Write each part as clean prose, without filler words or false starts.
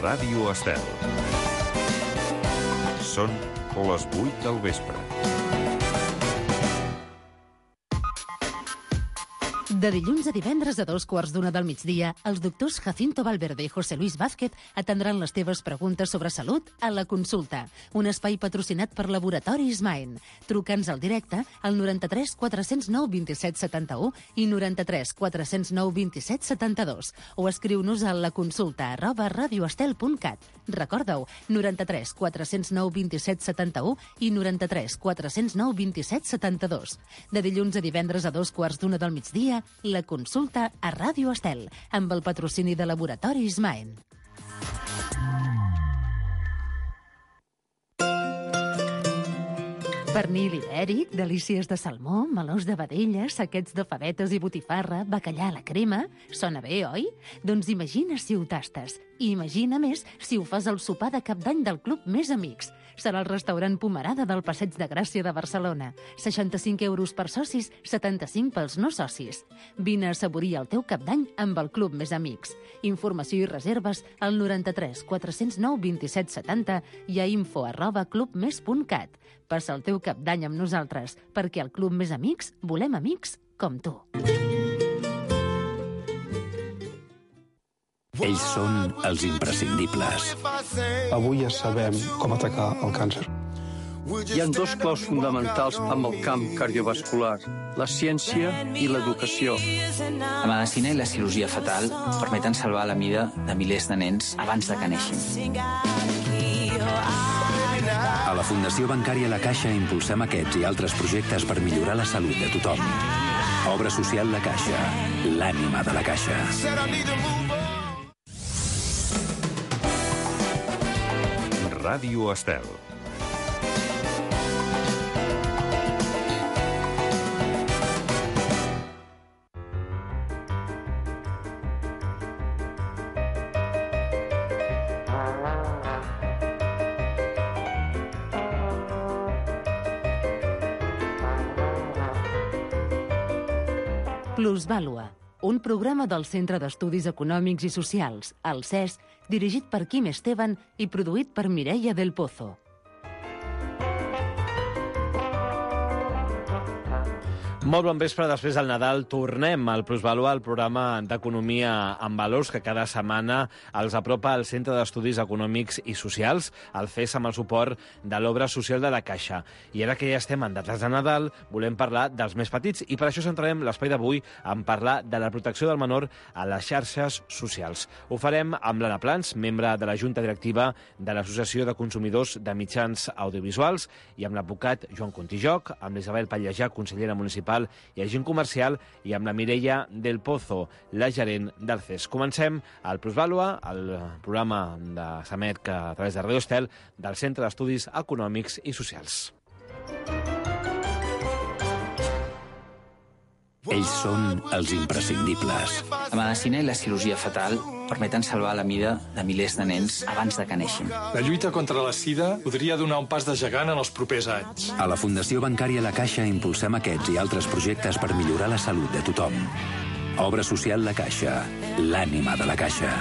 Ràdio Estel. Són les 8 del vespre. De dilluns a divendres a 2:15 del migdia, els doctors Jacinto Valverde i José Luis Vázquez atendran les teves preguntes sobre salut a La Consulta, un espai patrocinat per Laboratoris Maen. Truca'ns al directe al 93 409 27 71 i 93 409 27 72 o escriu-nos a laconsulta@radioestel.cat. Recorda-ho, 93 409 27 71 i 93 409 27 72. De dilluns a divendres a 2:15 del migdia, La Consulta a Ràdio Estel, amb el patrocini de Laboratoris Maen. Pernil ibèric, delícies de salmó, melós de vedella, saquets de favetes i botifarra, bacallà a la crema... Sona bé, oi? Doncs imagina si ho tastes. I imagina més si ho fas al sopar de cap d'any del Club Més Amics. Serà el restaurant Pomerada del Passeig de Gràcia de Barcelona. 65 € per socis, 75 pels no socis. Vine a assaborir el teu cap d'any amb el Club Més Amics. Informació i reserves al 93 409 27 70 i a info@clubmes.cat. Passa el teu cap d'any amb nosaltres, perquè al Club Més Amics volem amics com tu. Ells són els imprescindibles. Avui ja sabem com atacar el càncer. Hi ha dos claus fonamentals amb el camp cardiovascular, la ciència i l'educació. La medicina i la cirurgia fetal permeten salvar la vida de milers de nens abans de que neixin. A la Fundació Bancària La Caixa impulsem aquests i altres projectes per millorar la salut de tothom. Obra social La Caixa, l'ànima de la Caixa. Ràdio Estel. Plusvàlua, un programa del Centre d'Estudis Econòmics i Socials, el CES, dirigit per Quim Esteban i produït per Mireia del Pozo. Molt bon vespre. Després del Nadal tornem al Plusvàlua, el programa d'economia amb valors que cada setmana els apropa al Centre d'Estudis Econòmics i Socials, el CES, amb el suport de l'Obra Social de la Caixa. I ara que ja estem en dates de Nadal, volem parlar dels més petits i per això centrarem l'espai d'avui en parlar de la protecció del menor a les xarxes socials. Ho farem amb l'Anna Plans, membre de la Junta Directiva de l'Associació de Consumidors de Mitjans Audiovisuals, i amb l'advocat Joan Contijoc, amb l'Isabel Pallejà, consellera municipal i agent comercial, i amb la Mireia del Pozo, la gerent del CES. Comencem el Plusvàlua, el programa de Samet que a través de Ràdio Estel del Centre d'Estudis Econòmics i Socials. Ells són els imprescindibles. La medicina i la cirurgia fetal permeten salvar la vida de milers de nens abans de que neixin. La lluita contra la sida podria donar un pas de gegant en els propers anys. A la Fundació Bancària La Caixa impulsem aquests i altres projectes per millorar la salut de tothom. Obra social La Caixa, l'ànima de la Caixa.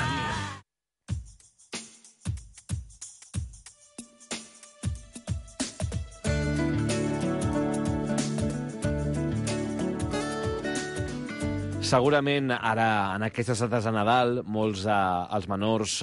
Segurament ara, en aquestes dates de Nadal, molts dels menors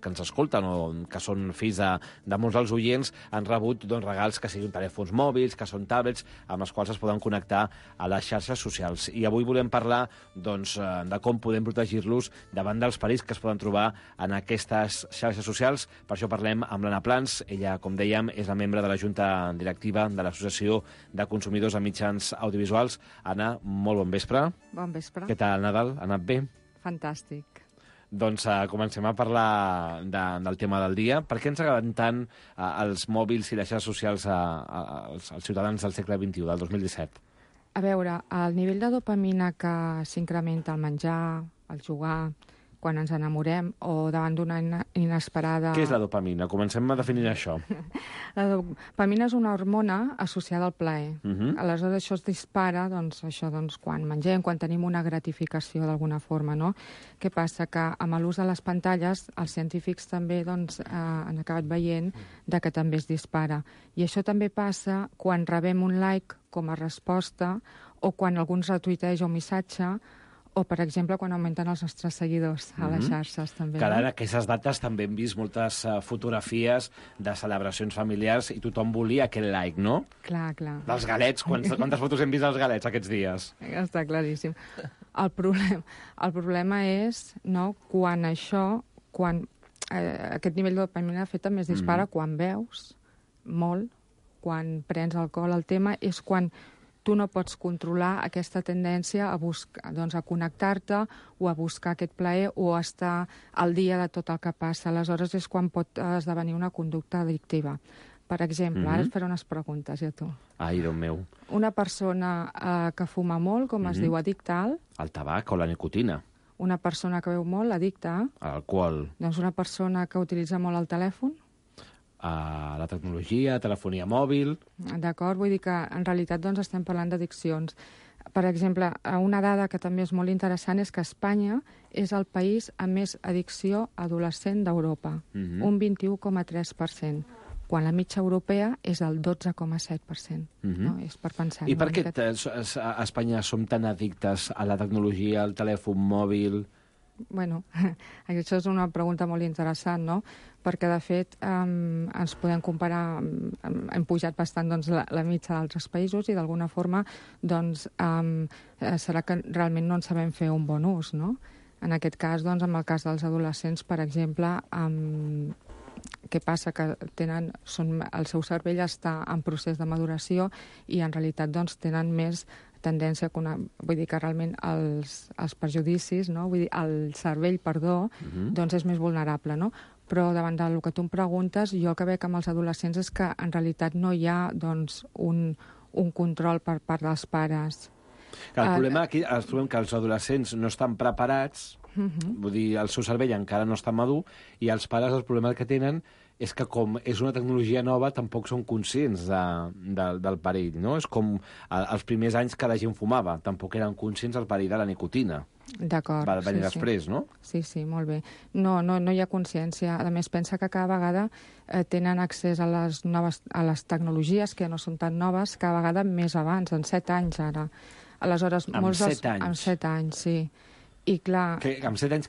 que ens escolten o que són fills de molts dels oients han rebut regals que siguin telèfons mòbils, que són tablets, amb els quals es poden connectar a les xarxes socials. I avui volem parlar de com podem protegir-los davant dels perills que es poden trobar en aquestes xarxes socials. Per això parlem amb l'Anna Plans. Ella, com dèiem, és la membre de la Junta Directiva de l'Associació de Consumidors de Mitjans Audiovisuals. Anna, molt bon vespre. Bon vespre. Què tal, Nadal? Ha anat bé? Fantàstic. Doncs comencem a parlar del tema del dia. Per què ens agraden tant els mòbils i les xarxes socials als ciutadans del segle XXI, del 2017? A veure, el nivell de dopamina que s'incrementa al menjar, al jugar, quan ens enamorem o davant d'una inesperada... Què és la dopamina? Comencem a definir això. La dopamina és una hormona associada al plaer. Aleshores, això es dispara quan mengem, quan tenim una gratificació d'alguna forma, no? Què passa? Que amb l'ús de les pantalles, els científics també han acabat veient que també es dispara. I això també passa quan rebem un like com a resposta o quan algú ens retuiteja un missatge o, per exemple, quan augmenten els nostres seguidors a les xarxes, també. Que ara, en aquestes dates, també hem vist moltes fotografies de celebracions familiars i tothom volia aquell like, no? Clar. Dels galets. Quantes fotos hem vist dels galets aquests dies? Està claríssim. El problema és, no, quan aquest nivell de dopamina de fet també es dispara quan beus molt, quan prens alcohol. El tema és quan tu no pots controlar aquesta tendència a connectar-te o a buscar aquest plaer o a estar al dia de tot el que passa. Aleshores és quan pot esdevenir una conducta addictiva. Per exemple, ara et faré unes preguntes, a tu. Ai, Déu meu. Una persona que fuma molt, com es diu, addicta al? El tabac o la nicotina. Una persona que beu molt, addicta a? L'alcohol. Doncs una persona que utilitza molt el telèfon? La tecnologia, telefonia mòbil... D'acord, vull dir que en realitat estem parlant d'addiccions. Per exemple, una dada que també és molt interessant és que Espanya és el país amb més addicció adolescent d'Europa, un 21,3%, quan la mitja europea és el 12,7%. No? És per pensar. I per què a Espanya som tan addictes a la tecnologia, al telèfon mòbil? Bueno, això és una pregunta molt interessant, no? Perquè, de fet, ens podem comparar, hem pujat bastant la mitja d'altres països i, d'alguna forma, serà que realment no en sabem fer un bon ús, no? En aquest cas, en el cas dels adolescents, per exemple, què passa? Que el seu cervell està en procés de maduració i, en realitat, tenen més tendència, vull dir que realment els prejudicis, no? Vull dir, el cervell, és més vulnerable, no? Però davant del que tu em preguntes, jo el que veig amb els adolescents és que en realitat no hi ha un control per part dels pares. El problema aquí és que els adolescents no estan preparats, vull dir, el seu cervell encara no està madur, i els pares el problema que tenen és que com és una tecnologia nova tampoc són conscients del perill, no? És com els primers anys que la gent fumava, tampoc eren conscients del perill de la nicotina. D'acord. Va venir després, no? Sí, molt bé. No hi ha consciència. A més, pensa que cada vegada tenen accés a les tecnologies que no són tan noves, cada vegada més abans, en 7 anys ara. Aleshores, amb 7 anys? Amb 7 anys, sí. I clar... Amb 7 anys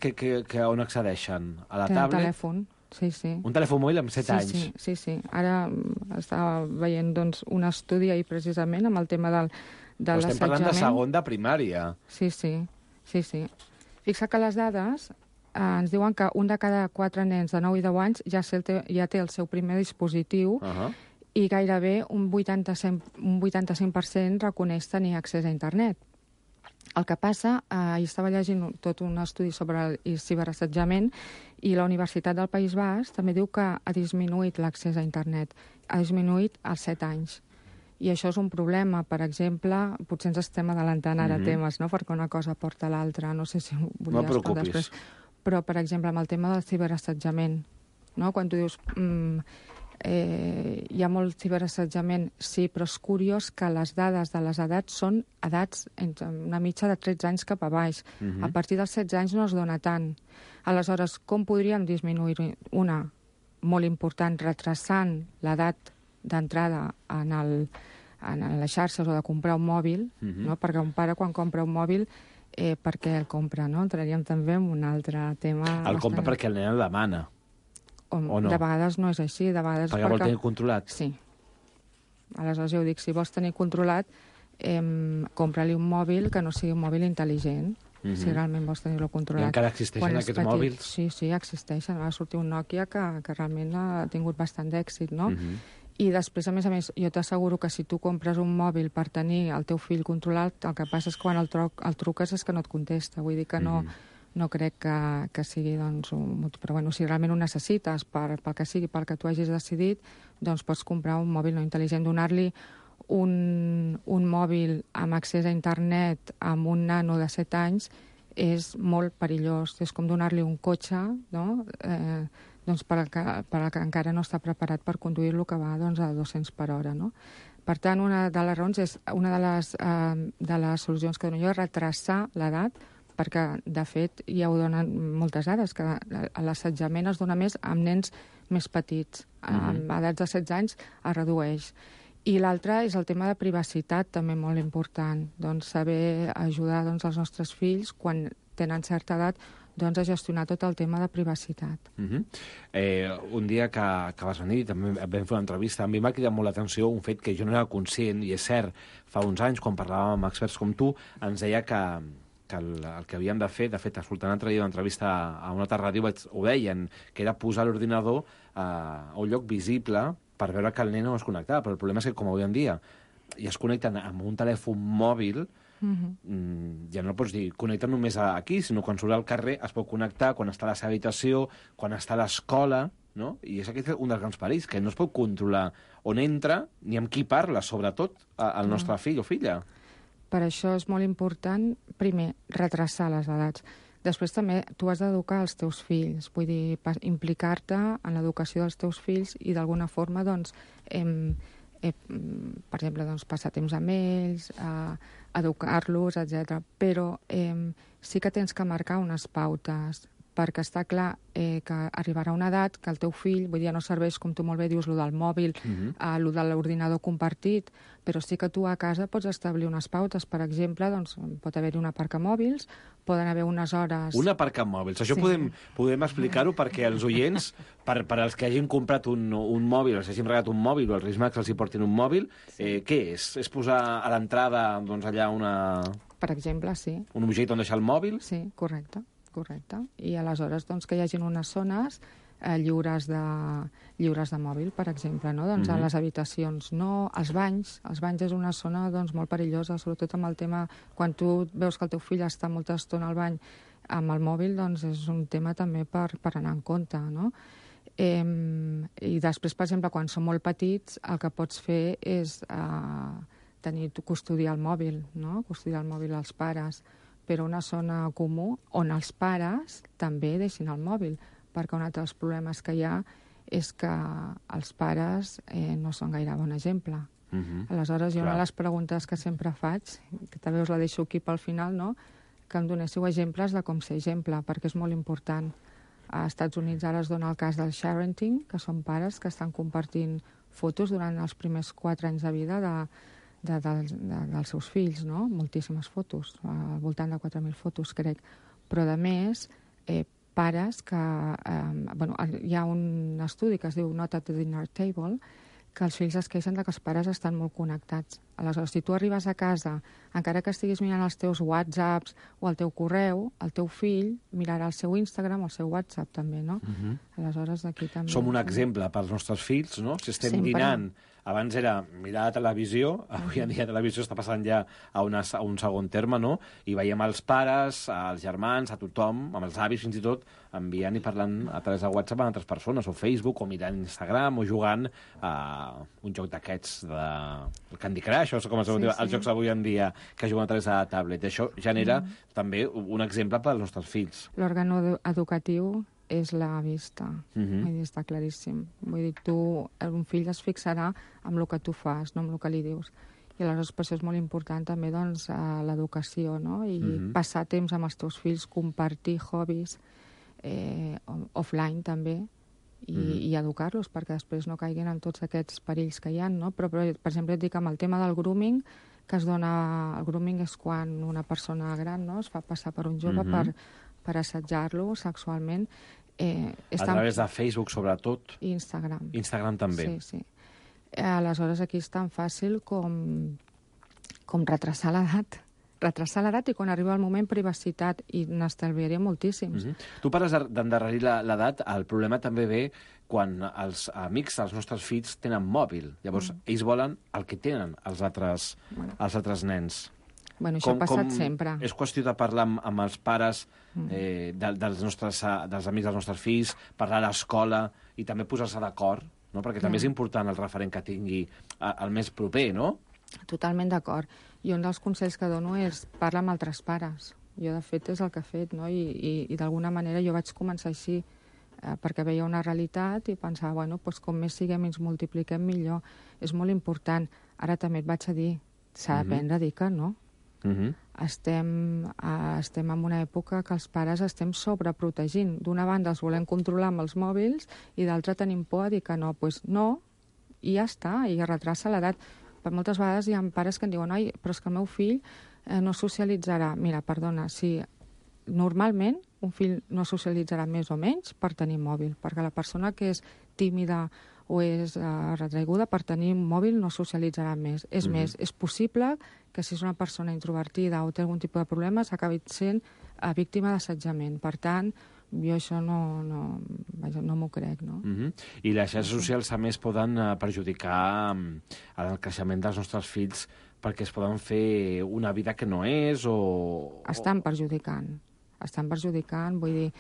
on accedeixen? A la tablet? Un telèfon. Sí. Un telèfon mòbil amb 7 anys? Sí. Ara estava veient un estudi ahir precisament amb el tema de l'assetjament. Estem parlant de segon de primària. Sí. Fixa que les dades ens diuen que un de cada 4 nens de 9 i 10 anys ja té el seu primer dispositiu i gairebé un 85% reconeix tenir accés a internet. El que passa, estava llegint tot un estudi sobre el ciberassetjament i la Universitat del País Basc també diu que ha disminuït l'accés a internet, ha disminuït als 7 anys. I això és un problema. Per exemple, potser ens estem adelantant ara temes, no? Perquè una cosa porta a l'altra. No sé si ho volies preocupis. Després. Però, per exemple, amb el tema del ciberassetjament, no? Quan tu dius hi ha molt ciberassetjament, sí, però és curiós que les dades de les edats són edats entre una mitja de 13 anys cap a baix. A partir dels 16 anys no es dona tant. Aleshores, com podríem disminuir una? Molt important, retrasant l'edat d'entrada en les xarxes o de comprar un mòbil, no? Perquè un pare quan compra un mòbil per què el compra, no? Entraríem també en un altre tema. El compra perquè el nen el demana. O no? De vegades no és així, de vegades perquè vol tenir controlat. Sí. Aleshores jo dic, si vols tenir controlat, compra-li un mòbil que no sigui un mòbil intel·ligent, si realment vols tenir-lo controlat. I encara existeixen aquests mòbils? Sí, existeixen. Va sortir un Nokia que realment ha tingut bastant d'èxit, no? I després, a més, jo t'asseguro que si tu compres un mòbil per tenir el teu fill controlat, el que passa és que quan el truques és que no et contesta. Vull dir que no crec que sigui un motiu. Però bueno, si realment ho necessites pel que sigui, pel que tu hagis decidit, doncs pots comprar un mòbil no intel·ligent. Donar-li un mòbil amb accés a internet amb un nano de 7 anys és molt perillós. És com donar-li un cotxe, no? Doncs per al que encara no està preparat per conduir-lo, que va doncs, a 200 per hora. No? Per tant, una de les raons és una de les solucions que dono jo és retrasar l'edat, perquè, de fet, ja ho donen moltes dades, que l'assetjament es dona més amb nens més petits. Amb edats de 16 anys es redueix. I l'altre és el tema de privacitat, també molt important. Doncs saber ajudar els nostres fills, quan tenen certa edat, doncs a gestionar tot el tema de privacitat. Un dia que vas venir, també vam fer una entrevista, a mi m'ha cridat molt l'atenció un fet que jo no era conscient, i és cert, fa uns anys, quan parlàvem amb experts com tu, ens deia que el que havíem de fet, escoltant l'altre dia una entrevista a una altra ràdio, ho deien, que era posar l'ordinador a un lloc visible per veure que el nen no es connectava, però el problema és que, com avui en dia, ja es connecten amb un telèfon mòbil, ja no pots dir connecta només aquí, sinó quan surt al carrer es pot connectar quan està a la seva habitació, quan està a l'escola, no? I és aquest un dels grans perills, que no es pot controlar on entra ni amb qui parla, sobretot el nostre fill o filla. Per això és molt important, primer, retrasar les edats. Després també tu has d'educar els teus fills, vull dir, implicar-te en l'educació dels teus fills i d'alguna forma, doncs, per exemple, doncs, passar temps amb ells, educar-los, etc. Però sí que tens que marcar unes pautes, perquè està clar que arribarà una edat que el teu fill, vull dir, no serveix, com tu molt bé dius, lo del mòbil, lo de l'ordinador compartit, però sí que tu a casa pots establir unes pautes. Per exemple, doncs, pot haver-hi un aparcamòbils, poden haver unes hores... Un aparcamòbils. Això podem explicar-ho perquè els oients, per als que hagin comprat un mòbil, o s'hagin regalat un mòbil, o els Reis Mags els hi portin un mòbil, què és? És posar a l'entrada, doncs, allà una... Per exemple, sí. Un objecte on deixar el mòbil? Sí, correcte. I aleshores doncs, que hi hagin unes zones lliures de mòbil, per exemple, no? Doncs a les habitacions no, als banys és una zona doncs, molt perillosa, sobretot amb el tema, quan tu veus que el teu fill està molta estona al bany amb el mòbil, doncs és un tema també per anar en compte, no? I després, per exemple, quan són molt petits, el que pots fer és custodiar el mòbil, no? Custodiar el mòbil als pares, però una zona comú on els pares també deixin el mòbil, perquè un altre dels problemes que hi ha és que els pares no són gaire bon exemple. Aleshores, jo una de les preguntes que sempre faig, que també us la deixo aquí pel final, no? Que em donéssiu exemples de com ser exemple, perquè és molt important. A Estats Units ara es dona el cas del sharenting, que són pares que estan compartint fotos durant els primers 4 anys de vida dels seus fills, no? Moltíssimes fotos, al voltant de 4.000 fotos, crec. Però, a més, pares que... hi ha un estudi que es diu Not at the Dinner Table, que els fills es queixen que els pares estan molt connectats. Aleshores, si tu arribes a casa, encara que estiguis mirant els teus WhatsApps o el teu correu, el teu fill mirarà el seu Instagram o el seu WhatsApp també, no? Aleshores, aquí també... Som un exemple pels nostres fills, no? Si estem dinant, abans era mirar la televisió, avui en dia la televisió està passant ja a un segon terme, no? I veiem els pares, als germans, a tothom, amb els avis fins i tot, enviant i parlant a través de WhatsApp amb altres persones, o Facebook, o mirant Instagram, o jugant a un joc d'aquests de Candy Crush, o com es diu, els jocs avui en dia que juguen a través de la tablet. Això genera també un exemple per als nostres fills. L'òrgan educatiu és la vista. Vull dir, està claríssim. Vull dir, un fill es fixarà amb el que tu fas, no amb el que li dius. I aleshores per això és molt important també doncs, l'educació, no? I passar temps amb els teus fills, compartir hobbies offline també, i educar-los perquè després no caiguin en tots aquests perills que hi ha, no? Però, per exemple, et dic amb el tema del grooming, que es dona... El grooming és quan una persona gran, no?, es fa passar per un jove per assetjar-lo sexualment. A través de Facebook, sobretot. I Instagram. Instagram també. Sí. Aleshores, aquí és tan fàcil com retrasar l'edat. Retrasar l'edat i quan arriba el moment privacitat, i n'estalviaré moltíssims. Tu parles d'endarrerir l'edat, el problema també ve quan els amics dels nostres fills tenen mòbil. Llavors, ells volen el que tenen els altres nens. Bueno, això ha passat sempre. És qüestió de parlar amb els pares dels amics dels nostres fills, parlar a l'escola i també posar-se d'acord, no? Perquè també és important el referent que tingui el més proper, no? Totalment d'acord. I un dels consells que dono és parlar amb altres pares. Jo, de fet, és el que he fet, no? I d'alguna manera jo vaig començar així, perquè veia una realitat i pensava, bueno, doncs com més siguem i ens multipliquem, millor. És molt important. Ara també et vaig a dir, s'ha d'aprendre a dir que no. Estem en una època que els pares estem sobreprotegint. D'una banda els volem controlar amb els mòbils i d'altra tenim por a dir que no. Doncs no, i ja està, i retrasa l'edat. Per moltes vegades hi ha pares que em diuen «Ai, però és que el meu fill no socialitzarà». Mira, perdona, si normalment un fill no socialitzarà més o menys per tenir mòbil, perquè la persona que és tímida o és retraiguda per tenir un mòbil no socialitzarà més. És més, és possible que si és una persona introvertida o té algun tipus de problemes acabi sent víctima d'assetjament. Per tant, jo això no m'ho crec, no? I les xarxes socials a més poden perjudicar el creixement dels nostres fills perquè es poden fer una vida que no és o... Estan perjudicant, vull dir,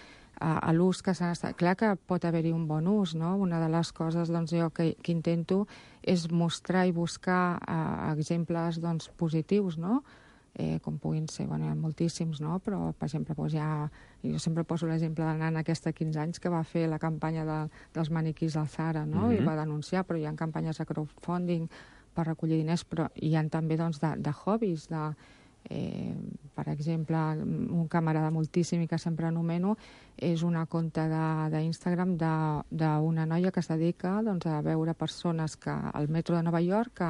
a l'ús que s'han estat... Clar que pot haver-hi un bon ús, no? Una de les coses jo que intento és mostrar i buscar exemples positius, no? Com puguin ser, bueno, hi ha moltíssims, no? Però, per exemple, jo sempre poso l'exemple de la nana aquesta de 15 anys que va fer la campanya dels maniquís del Zara, no? I va denunciar, però hi ha campanyes de crowdfunding per recollir diners, però hi ha també de hobbies, per exemple, un camarada moltíssim i que sempre anomeno és una compte d'Instagram d'una noia que es dedica a veure persones al metro de Nova York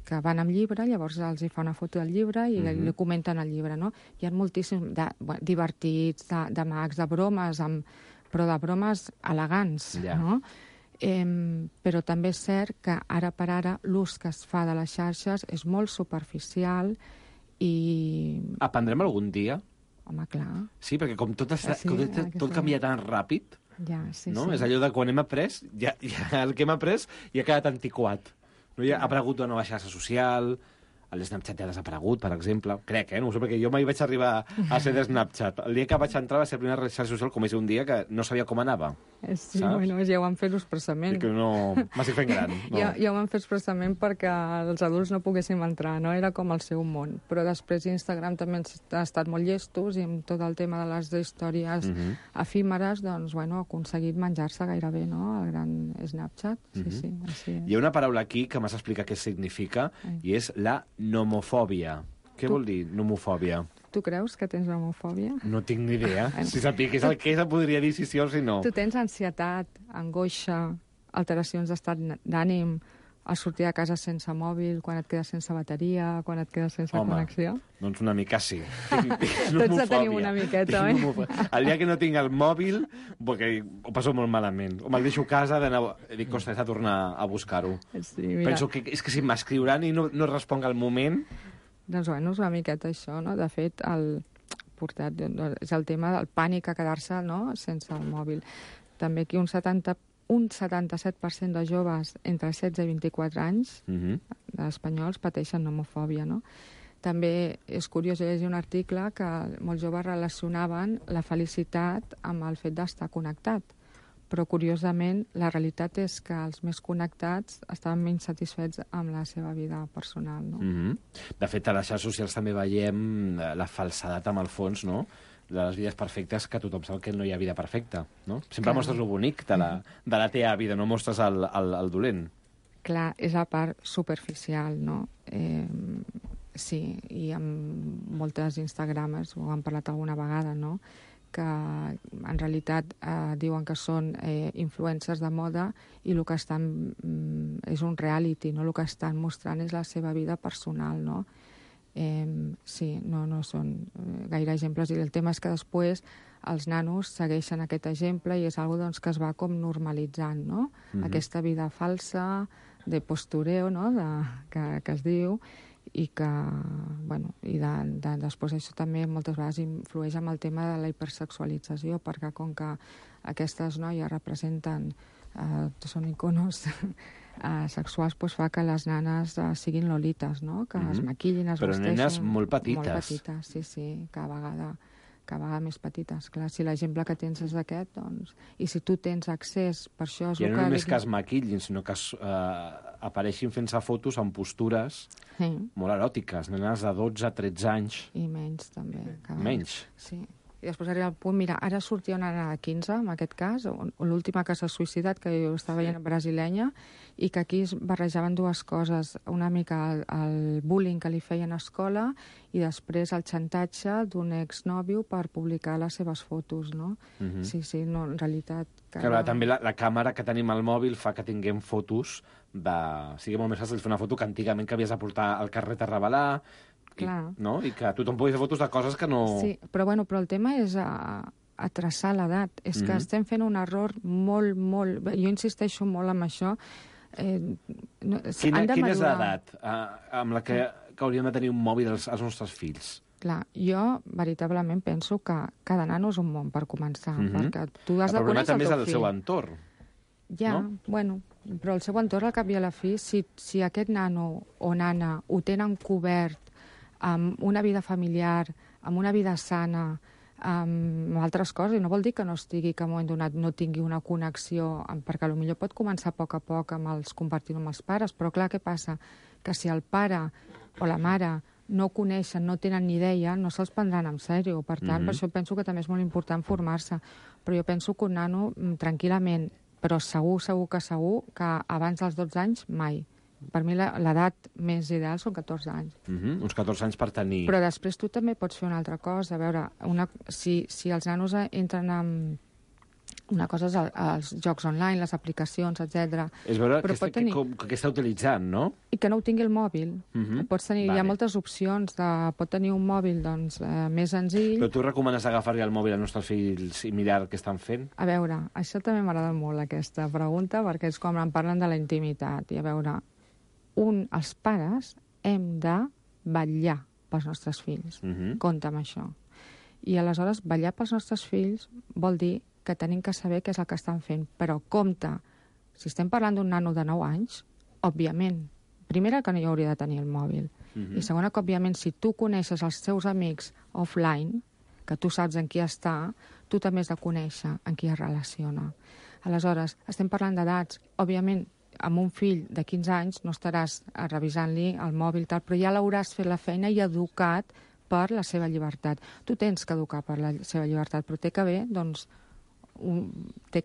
que van amb llibre, llavors els hi fa una foto del llibre i li comenten el llibre, no? Hi ha moltíssims divertits, de mags, de bromes, però de bromes elegants, no? Però també és cert que ara per ara l'ús que es fa de les xarxes és molt superficial i... Aprendrem algun dia? Home, clar. Sí, perquè com tot canvia tan ràpid, no? És allò de quan hem après, ja el que hem après ja ha quedat antiquat. Ha aparegut una nova xarxa social, el Snapchat ja ha desaparegut, per exemple. Crec, no ho sé, perquè jo mai vaig arribar a ser de Snapchat. El dia que vaig entrar va ser la primera xarxa social, com és un dia que no sabia com anava. Sí, bueno, ja ho han fet expressament. Que no... M'estic fent gran. No. Ja ho han fet expressament perquè els adults no poguéssim entrar, no? Era com el seu món. Però després Instagram també ha estat molt llestos i amb tot el tema de les històries efímeres, doncs, bueno, ha aconseguit menjar-se gairebé, no?, el gran Snapchat. Sí, així és. Hi ha una paraula aquí que m'has d'explicar què significa i és la nomofòbia. Què vol dir nomofòbia? Tu creus que tens homofòbia? No tinc ni idea. Si sapigués el que és, podria dir si sí o si no. Tu tens ansietat, angoixa, alteracions d'estat d'ànim, al sortir de casa sense mòbil, quan et quedes sense bateria, quan et quedes sense connexió? Doncs una mica sí. Tots tenim una miqueta, oi? El dia que no tinc el mòbil, perquè ho passo molt malament. O me'l deixo a casa, dic, ostres, he de tornar a buscar-ho. Sí, mira. Penso que és que si m'escriuran i no responc al moment... Doncs, bueno, és una miqueta això, no? De fet, és el tema del pànic a quedar-se, no?, sense el mòbil. També aquí un 77% de joves entre 16 i 24 anys d'espanyols pateixen homofòbia, no? També és curiós llegir un article que molts joves relacionaven la felicitat amb el fet d'estar connectat. Però, curiosament, la realitat és que els més connectats estaven menys satisfets amb la seva vida personal, no? De fet, a les xarxes socials també veiem la falsedat amb el fons, no?, de les vides perfectes, que tothom sap que no hi ha vida perfecta, no? Sempre mostres el bonic de la teva vida, no mostres el dolent. Clar, és la part superficial, no? Sí, i amb moltes Instagramers, ho hem parlat alguna vegada, no?, que en realitat diuen que són influencers de moda i el que estan és un reality, no? El que estan mostrant és la seva vida personal, no? Sí, no són gaire exemples, i el tema és que després els nanos segueixen aquest exemple i és una cosa que es va com normalitzant, no? Aquesta vida falsa, de postureo, no?, que es diu, i que, bueno, i després això també moltes vegades influeix amb el tema de la hipersexualització, perquè com que aquestes noies representen, són iconos sexuals, doncs fa que les nanes siguin lolites, no?, que es maquillin, es però vesteixin... nenes molt petites. Molt petites, sí, cada vegada cada vegada més petites. Clar, si l'exemple que tens és aquest, doncs... I si tu tens accés, per això... I no només que es maquillin, sinó que apareixin fent-se fotos amb postures molt eròtiques, nenes de 12 a 13 anys. I menys, també. Menys? Sí. I després arriba el punt, mira, ara sortia una nena de 15, en aquest cas, l'última que s'ha suïcidat, que jo estava veient brasilenya, i que aquí es barrejaven dues coses, una mica el bullying que li feien a escola i després el xantatge d'un exnòvio per publicar les seves fotos, no? Sí, no, en realitat... Clar, també la càmera que tenim al mòbil fa que tinguem fotos sigui molt més fàcil fer una foto que antigament que havies de portar al carret a revelar... I que tothom pugui fer fotos de coses que no... Sí, però el tema és a traçar l'edat. És que estem fent un error molt... Jo insisteixo molt en això. Quina és l'edat amb la que hauríem de tenir un mòbil els nostres fills? Clar, jo veritablement penso que cada nano és un món, per començar, perquè tu has de conèixer el teu fill. El problema també és el seu entorn. Ja, bueno, però el seu entorn, al cap i a la fi, si aquest nano o nana ho tenen cobert amb una vida familiar, amb una vida sana, amb altres coses, i no vol dir que no estigui, que en un moment donat no tingui una connexió, perquè potser pot començar a poc compartint amb els pares, però clar, què passa? Que si el pare o la mare no coneixen, no tenen ni idea, no se'ls prendran en sèrio. Per tant, per això penso que també és molt important formar-se. Però jo penso que un nano, tranquil·lament, però segur que abans dels 12 anys, mai. Per mi l'edat més ideal són 14 anys. Uns 14 anys per tenir... Però després tu també pots fer una altra cosa. A veure, si els nanos entren en... Una cosa és els jocs online, les aplicacions, etc. És veure què està utilitzant, no? I que no ho tingui el mòbil. Pots tenir, hi ha moltes opcions. Pot tenir un mòbil més senzill. Però tu recomanes agafar-li el mòbil als nostres fills i mirar què estan fent? A veure, això també m'agrada molt, aquesta pregunta, perquè és quan em parlen de la intimitat. I a veure... els pares hem de vetllar pels nostres fills. Compte amb això. I aleshores, vetllar pels nostres fills vol dir que tenim que saber què és el que estan fent. Però compte, si estem parlant d'un nano de 9 anys, òbviament, primera, que no hi hauria de tenir el mòbil. I segona, que òbviament, si tu coneixes els teus amics offline, que tu saps en qui està, tu també has de conèixer en qui es relaciona. Aleshores, estem parlant d'edats, òbviament, amb un fill de 15 anys no estaràs revisant-li el mòbil, però ja l'hauràs fet la feina i educat per la seva llibertat. Tu tens que educar per la seva llibertat, però té que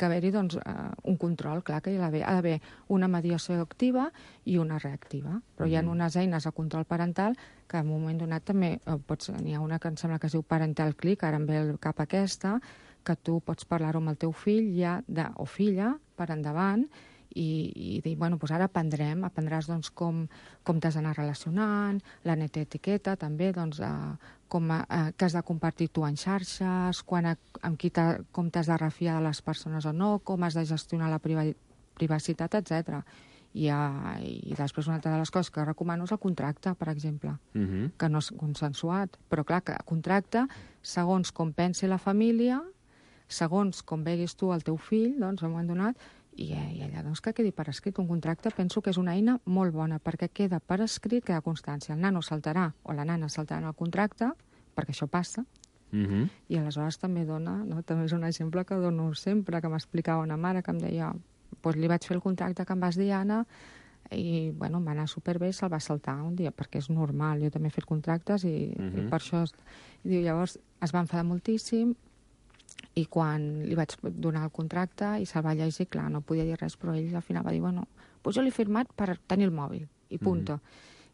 haver-hi un control, clar que hi ha d'haver una mediació activa i una reactiva. Però hi ha unes eines de control parental que en un moment donat també n'hi ha una que em sembla que es diu Parental Click, ara em ve al cap aquesta, que tu pots parlar-ho amb el teu fill o filla per endavant i dir, doncs ara aprendràs com t'has d'anar relacionant, la neta etiqueta també, que has de compartir tu en xarxes, com t'has de refiar de les persones o no, com has de gestionar la privacitat, etc. I després una altra de les coses que recomano és el contracte, per exemple, que no és consensuat, però clar, que contracte, segons com pensi la família, segons com veguis tu el teu fill, doncs, en un moment donat, i allà que quedi per escrit. Un contracte penso que és una eina molt bona, perquè queda per escrit, queda constància. El nano saltarà, o la nana saltarà en el contracte, perquè això passa, i aleshores també també és un exemple que dono sempre, que m'explicava una mare que em deia, li vaig fer el contracte que em vas dir, Anna, i va anar superbé, se'l va saltar un dia, perquè és normal, jo també he fet contractes i per això... Llavors es va enfadar moltíssim, i quan li vaig donar el contracte i se'l va llegir, clar, no podia dir res, però ell al final va dir, doncs jo l'he firmat per tenir el mòbil, i punto.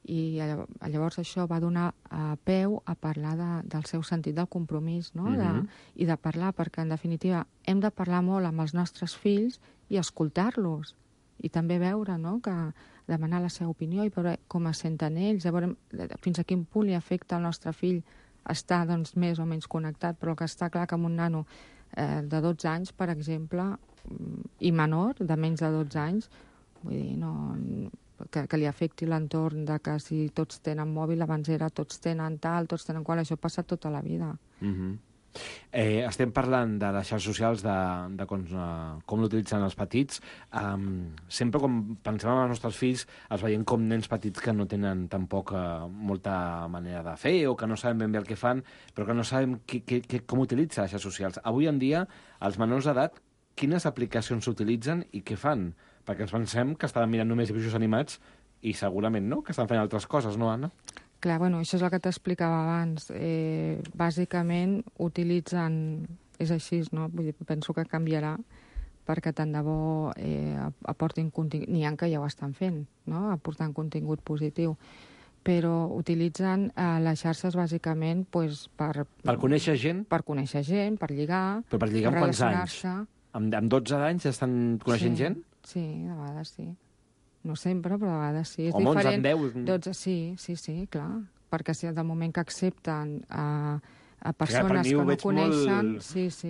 I llavors això va donar peu a parlar del seu sentit del compromís, no? I de parlar, perquè en definitiva hem de parlar molt amb els nostres fills i escoltar-los, i també veure, que demanar la seva opinió i veure com es senten ells, fins a quin punt li afecta al nostre fill està més o menys connectat, però el que està clar que amb un nano de 12 anys, per exemple, i menor, de menys de 12 anys, vull dir, que li afecti l'entorn de que si tots tenen mòbil, abans era tots tenen tal, tots tenen qual, això passa tota la vida. Estem parlant de les xarxes socials, de com l'utilitzen els petits. Sempre quan pensem en els nostres fills, els veiem com nens petits que no tenen tampoc molta manera de fer o que no saben ben bé el que fan, però que no sabem com utilitzen les xarxes socials. Avui en dia, els menors d'edat, quines aplicacions s'utilitzen i què fan? Perquè ens pensem que estaven mirant només dibuixos animats i segurament no, que estan fent altres coses, no, Anna? Clar, bueno, això és el que t'explicava abans. Bàsicament utilitzen... És així, no? Vull dir, penso que canviarà perquè tant de bo aportin contingut... N'hi ha que ja ho estan fent, no? Aportant contingut positiu. Però utilitzen les xarxes bàsicament pues, per... Per conèixer gent? Per conèixer gent, per lligar... Però per lligar amb quants anys? Amb 12 anys ja estan coneixent gent? Sí, de vegades sí. No sempre, però de vegades sí. És o molts diferent. amb 10? 12, sí, clar. Perquè si del moment que accepten a persones que no coneixen...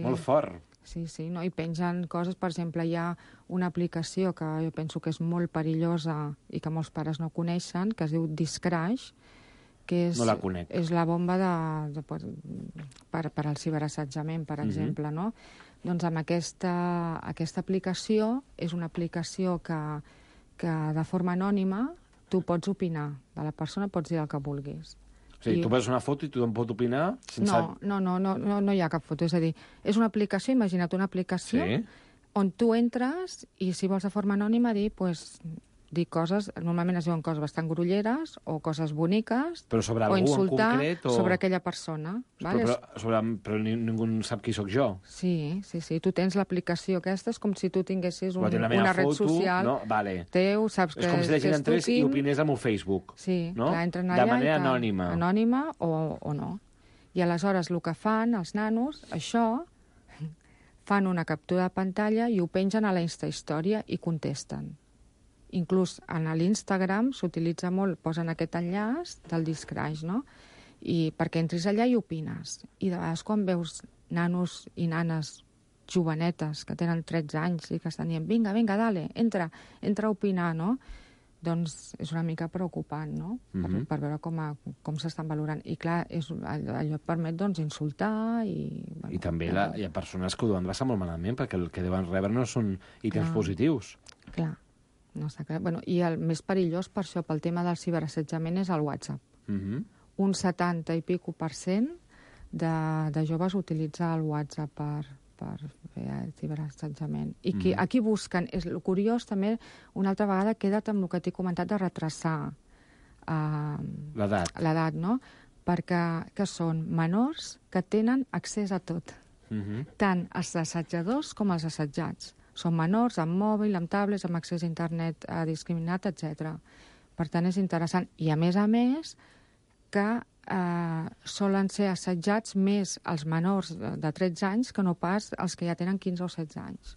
Molt fort. Sí, no? I pengen coses, per exemple, hi ha una aplicació que jo penso que és molt perillosa i que molts pares no coneixen, que es diu Discrash, que és, no la conec. És la bomba per al ciberassetjament, per exemple, no? Doncs amb aquesta aplicació, és una aplicació que de forma anònima tu pots opinar de la persona, pots dir el que vulguis. O sigui, tu veus una foto i tothom pot opinar? No hi ha cap foto. És a dir, és una aplicació, imagina't una aplicació on tu entres i si vols de forma anònima dir coses, normalment es diuen coses bastant grolleres o coses boniques, però sobre o algú insultar en concret, sobre aquella persona. Però ningú sap qui sóc jo. Sí. Tu tens l'aplicació aquesta, és com si tu tinguessis una ret foto, social teu, saps que és com si la gent entrés i opinés amb un Facebook. Sí, no? clar, entren allà de manera anònima. Anònima o no. I aleshores el que fan els nanos, això, fan una captura de pantalla i ho pengen a la Instahistòria i contesten. Inclús en l'Instagram s'utilitza molt, posen aquest enllaç del Discrash, no? I perquè entris allà i opines. I de vegades quan veus nanos i nanes jovenetes que tenen 13 anys i que estan dient vinga, dale, entra a opinar, no? Doncs és una mica preocupant, no? Per veure com s'estan valorant. I clar, allò et permet insultar i... I també hi ha persones que ho deuen passar molt malament perquè el que deuen rebre no són ítems positius. Clar. No està clar. Bueno, i el més perillós per això, pel tema del ciberassetjament, és el WhatsApp. Un 70 i pico% de joves utilitza el WhatsApp per fer el ciberassetjament. I aquí busquen... El curiós també, una altra vegada, queda't amb el que t'he comentat de retrasar l'edat, no? Perquè són menors que tenen accés a tot. Tant els assetjadors com els assetjats. Són menors, amb mòbil, amb tablets, amb accés a internet discriminat, etc. Per tant, és interessant. I, a més, que solen ser assetjats més els menors de 13 anys que no pas els que ja tenen 15 o 16 anys.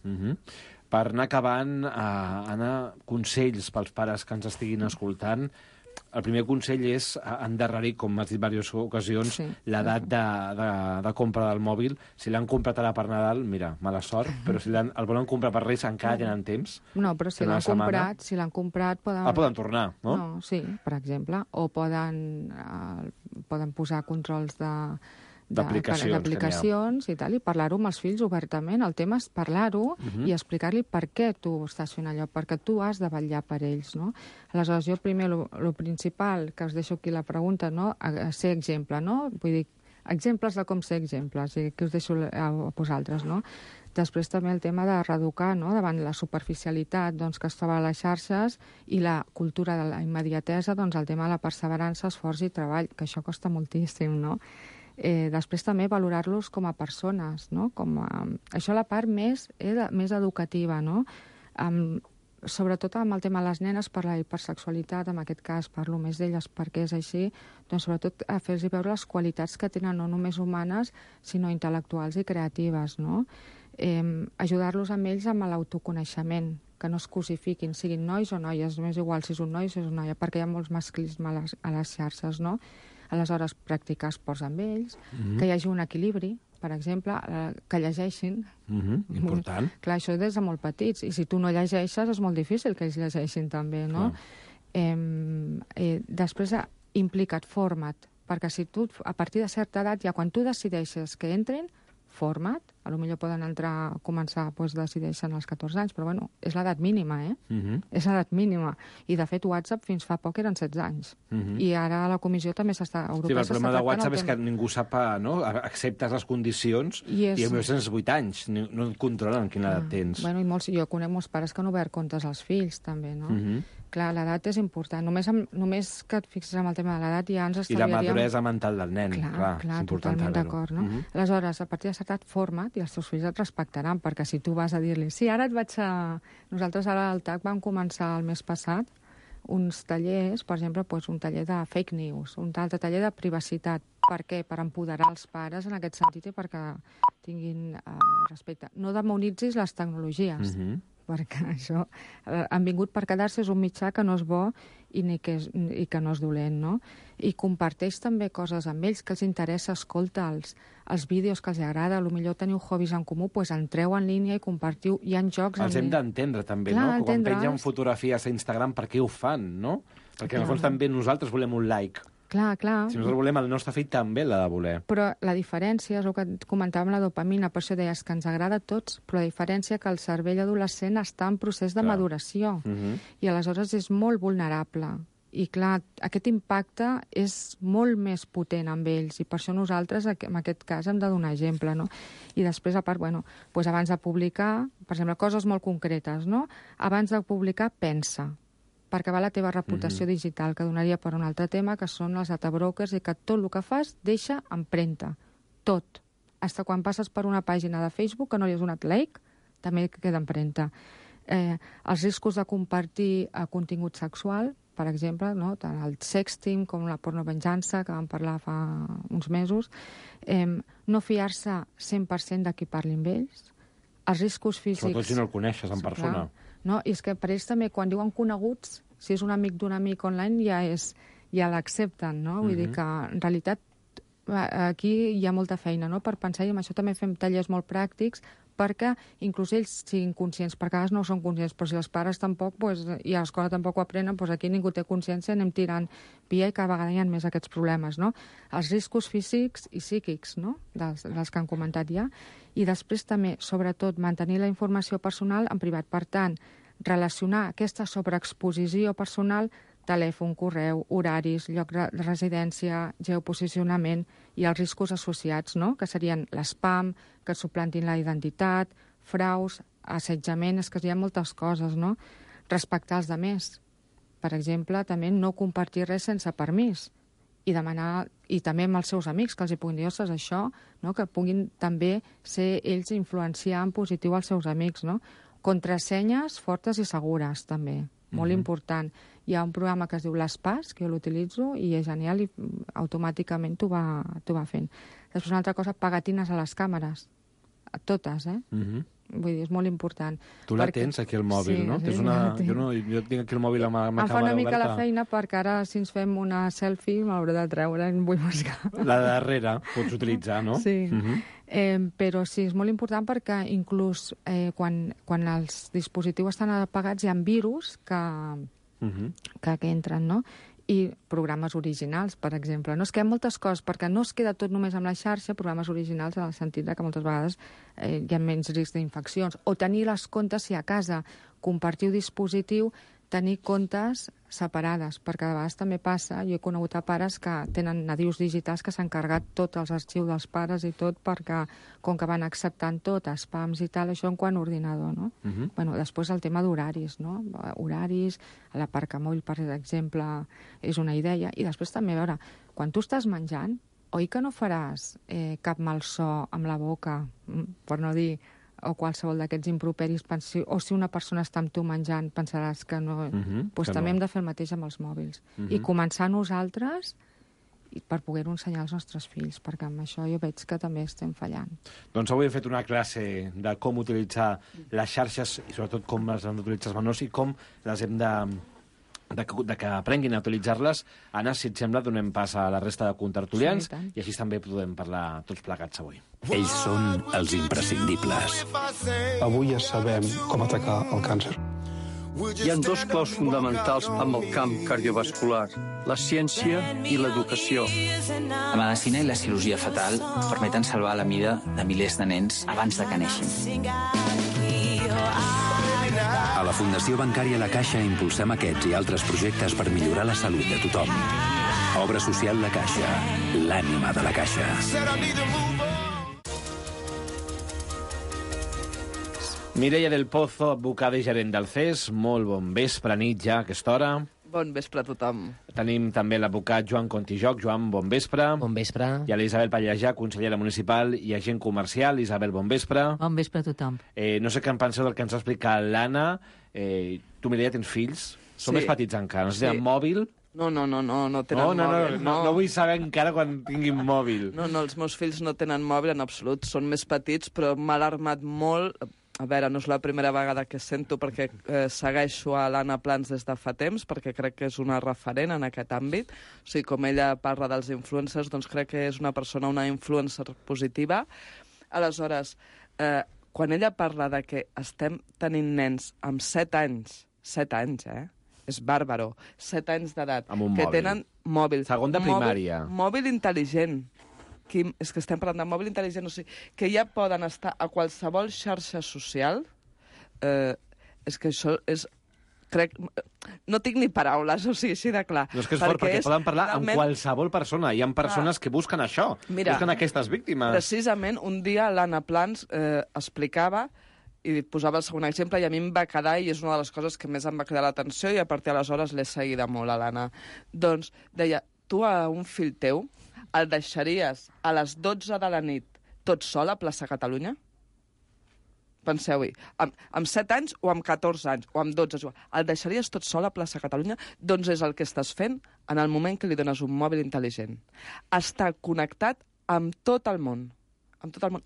Per anar acabant, Anna, consells pels pares que ens estiguin escoltant. El primer consell és endarrerir, com m'has dit en diverses ocasions, l'edat de compra del mòbil. Si l'han comprat ara per Nadal, mira, mala sort, però si el volen comprar per Reis encara tenen temps. No, però si l'han comprat poden... poden tornar, no? No, sí, per exemple. O poden posar controls d'aplicacions i tal, i parlar-ho amb els fills obertament. El tema és parlar-ho i explicar-li per què tu estàs fent allò, perquè tu has de vetllar per ells, no? Aleshores, jo primer, el principal, que us deixo aquí la pregunta, no? Ser exemple, no? Vull dir, exemples de com ser exemples, i que us deixo a vosaltres, no? Després també el tema de reeducar, no? Davant la superficialitat que es troba a les xarxes i la cultura de la immediatesa, el tema de la perseverança, esforç i treball, que això costa moltíssim, no? Després també valorar-los com a persones, no? Això la part més educativa, no? Sobretot amb el tema de les nenes, per la hipersexualitat, en aquest cas parlo més d'elles perquè és així, doncs sobretot a fer-los veure les qualitats que tenen no només humanes, sinó intel·lectuals i creatives, no? Ajudar-los amb ells amb l'autoconeixement, que no es cosifiquin, siguin nois o noies, m'és igual si és un noi o si és una noia, perquè hi ha molts masclisme a les xarxes, no? Aleshores, practicar esports amb ells, que hi hagi un equilibri, per exemple, que llegeixin. Important. Clar, això des de molt petits. I si tu no llegeixes, és molt difícil que ells llegeixin també, no? Després, implica't, forma't. perquè si tu, a partir de certa edat, ja quan tu decideixes que entrin, forma't, potser poden entrar, començar, doncs decideixen als 14 anys, però bueno, és l'edat mínima, És l'edat mínima. I de fet WhatsApp fins fa poc eren 16 anys. I ara la comissió també europea el problema de WhatsApp és que ningú sap, no? Acceptes les condicions i a més tens 8 anys, no et controlen quina edat tens. Bueno, jo conec molts pares que han obert comptes als fills, també, no? Clar, l'edat és important. Només que et fixes en el tema de l'edat ja ens estalviaríem... I la maduresa mental del nen, clar, és important totalment d'acord, no? Aleshores, a partir de certa edat, forma't i els teus fills et respectaran, perquè si tu vas a dir-li sí, ara et vaig a... Nosaltres ara al TAC vam començar el mes passat uns tallers, per exemple, un taller de fake news, un altre taller de privacitat. Per què? Per empoderar els pares en aquest sentit i perquè tinguin respecte. No demonitzis les tecnologies, perquè això han vingut per quedar-se, és un mitjà que no és bo i que no és dolent, no? I comparteix també coses amb ells que els interessa, escolta els vídeos que els agrada, potser teniu hobbies en comú, doncs entreu en línia i compartiu, hi ha jocs... Els hem d'entendre també, no? Quan pengen fotografies a Instagram, per què ho fan, no? Perquè en el fons també nosaltres volem un like. Clar. Si nosaltres volem, el nostre fill també l'ha de voler. Però la diferència, és el que comentàvem, la dopamina, per això deies que ens agrada a tots, però la diferència que el cervell adolescent està en procés de maduració. I aleshores és molt vulnerable. I clar, aquest impacte és molt més potent amb ells, i per això nosaltres, en aquest cas, hem de donar exemple, no? I després, a part, abans de publicar, per exemple, coses molt concretes, no? Abans de publicar, pensa, perquè va la teva reputació digital, que donaria per un altre tema, que són els data brokers, i que tot el que fas deixa empremta. Tot. Fins quan passes per una pàgina de Facebook que no li has donat like, també queda empremta. Els riscos de compartir contingut sexual, per exemple, no? Tant el sexting com la pornovenjança, que vam parlar fa uns mesos, no fiar-se 100% de qui parli amb ells, els riscos físics... Sobretot si no el coneixes en persona. No? I és que per ells també, quan diuen coneguts, si és un amic d'un amic online, ja l'accepten, no? Vull dir que, en realitat, aquí hi ha molta feina, no?, per pensar, i amb això també fem tallers molt pràctics, perquè inclús ells siguin conscients, perquè a vegades no són conscients, però si els pares tampoc, i a l'escola tampoc ho aprenen, aquí ningú té consciència, anem tirant via i cada vegada hi ha més aquests problemes, no? Els riscos físics i psíquics, no?, dels que han comentat ja, i després també, sobretot, mantenir la informació personal en privat. Per tant, relacionar aquesta sobreexposició personal, telèfon, correu, horaris, lloc de residència, geoposicionament i els riscos associats, no?, que serien l'espam, que suplantin la identitat, fraus, assetjament, és que hi ha moltes coses, no? Respectar els altres. Per exemple, també no compartir res sense permís i demanar, i també amb els seus amics, que els hi puguin dir, ostres, això, no?, que puguin també ser ells influenciar en positiu els seus amics, no? Contrasenyes fortes i segures, també. Molt important. Hi ha un programa que es diu l'Espàs, que jo l'utilitzo, i és genial, i automàticament t'ho va fent. Després una altra cosa, pegatines a les càmeres. A totes, Vull dir, és molt important. Tu la tens aquí al mòbil, no? Sí, jo tinc aquí el mòbil amb la càmera oberta. Em fa una mica la feina, perquè ara, si ens fem una selfie, m'hauré de treure, em vull mascar. La de darrere pots utilitzar, no? Sí. Però sí, és molt important perquè inclús quan els dispositius estan apagats hi ha virus que entren, no? I programes originals, per exemple. No es queden moltes coses, perquè no es queda tot només amb la xarxa, programes originals en el sentit que moltes vegades hi ha menys risc d'infeccions. O tenir les comptes, si a casa compartiu dispositiu, tenir comptes separades, perquè a vegades també passa, jo he conegut a pares que tenen nadius digitals que s'han carregat tots els arxius dels pares i tot, perquè com que van acceptant tot, spams i tal, això en quant a ordinador, no? Després el tema d'horaris, no? Horaris, l'aparcamòbil, per exemple, és una idea, i després també, a veure, quan tu estàs menjant, oi que no faràs cap malson amb la boca, per no dir o qualsevol d'aquests improperis, o si una persona està amb tu menjant, pensaràs que no... Doncs també hem de fer el mateix amb els mòbils. I començar nosaltres per poder-ho ensenyar als nostres fills, perquè amb això jo veig que també estem fallant. Doncs avui he fet una classe de com utilitzar les xarxes, i sobretot com les han d'utilitzar els menors, i com les hem de que aprenguin a utilitzar-les. Anna, si et sembla, donem pas a la resta de contertulians, i així també podem parlar tots plegats avui. Ells són els imprescindibles. Avui ja sabem com atacar el càncer. Hi ha dos claus fonamentals amb el camp cardiovascular, la ciència i l'educació. La medicina i la cirurgia fetal permeten salvar la vida de milers de nens abans de que neixin. A la Fundació Bancària La Caixa impulsem aquests i altres projectes per millorar la salut de tothom. Obra social La Caixa, l'ànima de la Caixa. Mireia del Pozo, advocada i gerent del CES, molt bon vespre, nit ja, a aquesta hora. Bon vespre a tothom. Tenim també l'advocat Joan Contijoc. Joan, bon vespre. Bon vespre. I a l'Isabel Pallejà, consellera municipal i agent comercial. Isabel, bon vespre. Bon vespre a tothom. No sé què en penseu del que ens ha explicat l'Anna. Tu, Mireia, tens fills? Són més petits encara. No sé si tenen mòbil? No tenen mòbil. No vull saber encara quan tinguin mòbil. No, els meus fills no tenen mòbil en absolut. Són més petits, però m'ha alarmat molt. A veure, no és la primera vegada que sento, perquè segueixo a l'Anna Plans des de fa temps, perquè crec que és una referent en aquest àmbit. O sigui, com ella parla dels influencers, doncs crec que és una persona, una influencer positiva. Aleshores, quan ella parla de que estem tenint nens amb 7 anys, és bàrbaro, 7 anys d'edat, que mòbil. tenen mòbil. Segon de primària. Mòbil intel·ligent. És que estem parlant de mòbil intel·ligent, o sigui, que ja poden estar a qualsevol xarxa social, és que això és... no tinc ni paraules, o sigui, així de clar. No, és que és fort, perquè poden parlar amb qualsevol persona. Hi ha persones que busquen això, busquen aquestes víctimes. Precisament, un dia l'Anna Plans explicava i posava el segon exemple, i a mi em va quedar, i és una de les coses que més em va cridar l'atenció, i a partir d'aleshores l'he seguida molt, a l'Anna. Doncs deia, tu a un fill teu el deixaries a les 12 de la nit tot sol a plaça Catalunya? Penseu-hi, amb 7 anys o amb 14 anys, o amb 12, el deixaries tot sol a plaça Catalunya? Doncs és el que estàs fent en el moment que li dones un mòbil intel·ligent. Està connectat amb tot el món.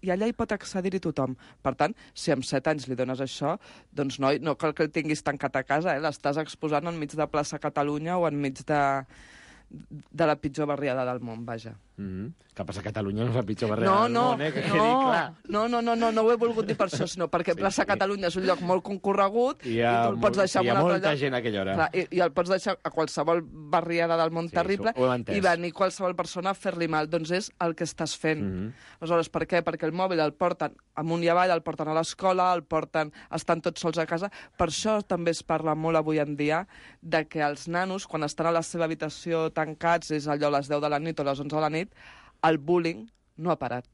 I allà hi pot accedir-hi tothom. Per tant, si amb 7 anys li dones això, doncs noi, no cal que el tinguis tancat a casa, l'estàs exposant enmig de plaça Catalunya o enmig de la pitjor barriada del món, vaja. Que passa a Catalunya no és la pitjor barriada del món, que quedi clar. No ho he volgut dir per això, sinó perquè plaça Catalunya és un lloc molt concorregut i tu el pots deixar en un altre lloc. Hi ha molta gent a aquella hora. I el pots deixar a qualsevol barriada del món terrible i venir qualsevol persona a fer-li mal. Doncs és el que estàs fent. Aleshores, per què? Perquè el mòbil el porten amunt i avall, el porten a l'escola, estan tots sols a casa. Per això també es parla molt avui en dia de que els nanos, quan estan a la seva habitació tancats, és allò a les 10 de la nit o a les 11 de la nit, el bullying no ha parat,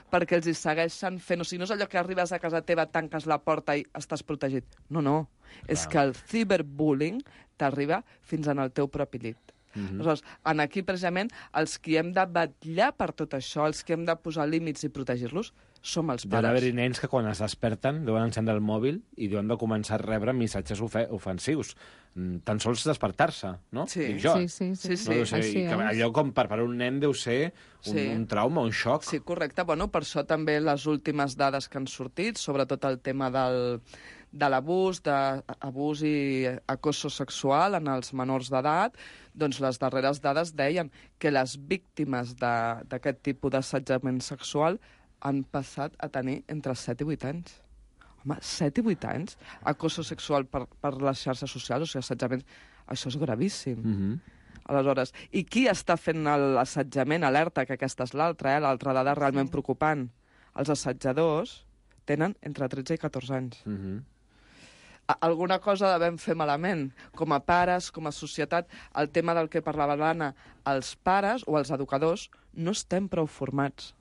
perquè els hi segueixen fent. O sigui, no és allò que arribes a casa teva, tanques la porta i estàs protegit. No. És que el ciberbullying t'arriba fins en el teu propi llit. Aleshores, aquí, precisament, els que hem de vetllar per tot això, els que hem de posar límits i protegir-los, som els pares. Deuen haver-hi nens que quan es desperten deuen encendre el mòbil i deuen de començar a rebre missatges ofensius. Tan sols despertar-se, no? Sí. Dic jo. Sí. No, allò com per un nen deu ser un trauma, un xoc. Sí, correcte. Bueno, per això també les últimes dades que han sortit, sobretot el tema de l'abús i acoso sexual en els menors d'edat, doncs les darreres dades deien que les víctimes d'aquest tipus d'assetjament sexual han passat a tenir entre 7 i 8 anys. Home, 7 i 8 anys? Acoso sexual per les xarxes socials, o sigui, assetjament, això és gravíssim. Aleshores, i qui està fent l'assetjament? Alerta, que aquesta és l'altra dada realment preocupant. Els assetjadors tenen entre 13 i 14 anys. Alguna cosa devem fer malament. Com a pares, com a societat, el tema del que parlava l'Anna, els pares o els educadors no estem prou formats.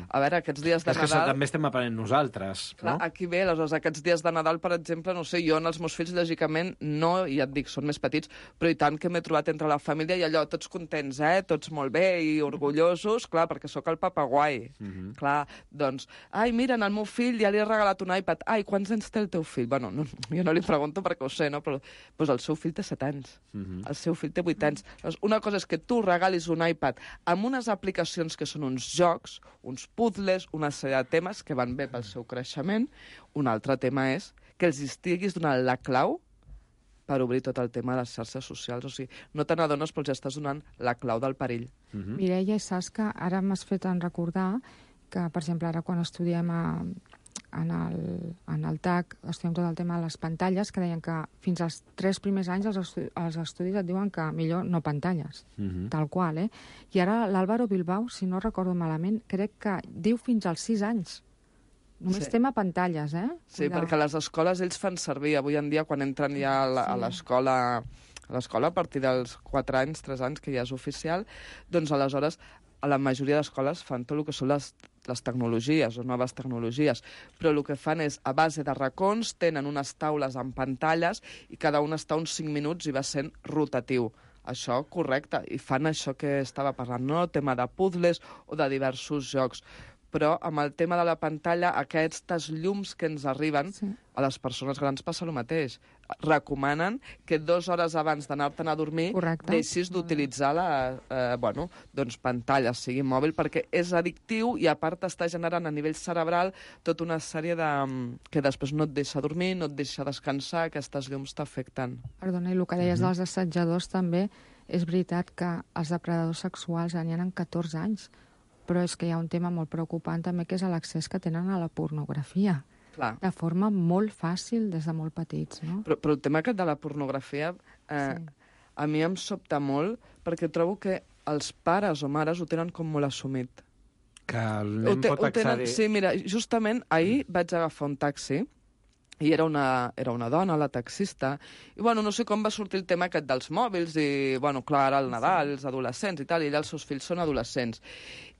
A veure, aquests dies de Nadal... És que també estem aprenent nosaltres, no? Clar, aquí ve, aleshores, aquests dies de Nadal, per exemple, no sé, jo en els meus fills, lògicament, no, i ja et dic, són més petits, però i tant que m'he trobat entre la família i allò, tots contents, tots molt bé i orgullosos, clar, perquè sóc el papaguai. Clar, doncs, ai, mira, el meu fill ja li he regalat un iPad. Ai, quants anys té el teu fill? Bueno, jo no li pregunto perquè ho sé, no? Però doncs el seu fill té 7 anys. El seu fill té 8 anys. Llavors, una cosa és que tu regalis un iPad amb unes aplicacions que són uns jocs, uns puzzles, una sèrie de temes que van bé pel seu creixement. Un altre tema és que els estiguis donant la clau per obrir tot el tema de les xarxes socials. O sigui, no te n'adones, però ja estàs donant la clau del perill. Mireia, saps que ara m'has fet recordar que, per exemple, ara quan estudiem en el TAC estudiem tot el tema de les pantalles, que deien que fins als 3 primers anys els estudis et diuen que millor no pantalles, tal qual, eh? I ara l'Álvaro Bilbao, si no recordo malament, crec que diu fins als 6 anys. Només tema pantalles, eh? Sí, perquè a les escoles ells fan servir, avui en dia, quan entren ja a l'escola, a partir dels 4 anys, 3 anys, que ja és oficial, doncs aleshores a la majoria d'escoles fan tot el que són les tecnologies, les noves tecnologies, però el que fan és, a base de racons, tenen unes taules amb pantalles i cada una està uns 5 minuts i va sent rotatiu. Això, correcte, i fan això que estava parlant, no? El tema de puzzles o de diversos jocs. Però amb el tema de la pantalla, aquestes llums que ens arriben, a les persones grans passa el mateix. Recomanen que 2 hores abans d'anar-te'n a dormir deixis d'utilitzar pantalla, sigui mòbil, perquè és addictiu i a part està generant a nivell cerebral tota una sèrie de... que després no et deixa dormir, no et deixa descansar, aquestes llums t'afecten. Perdona, i el que deies dels assetjadors també, és veritat que els depredadors sexuals n'hi ha 14 anys, però és que hi ha un tema molt preocupant també, que és l'accés que tenen a la pornografia. Clar. De forma molt fàcil des de molt petits, no? Però el tema aquest de la pornografia a mi em sobta molt perquè trobo que els pares o mares ho tenen com molt assumit. Que el nen pot accedir... Sí, mira, justament ahir vaig agafar un taxi i era una dona, la taxista, i no sé com va sortir el tema aquest dels mòbils, i clar, ara el Nadal, els adolescents i tal, i ella els seus fills són adolescents.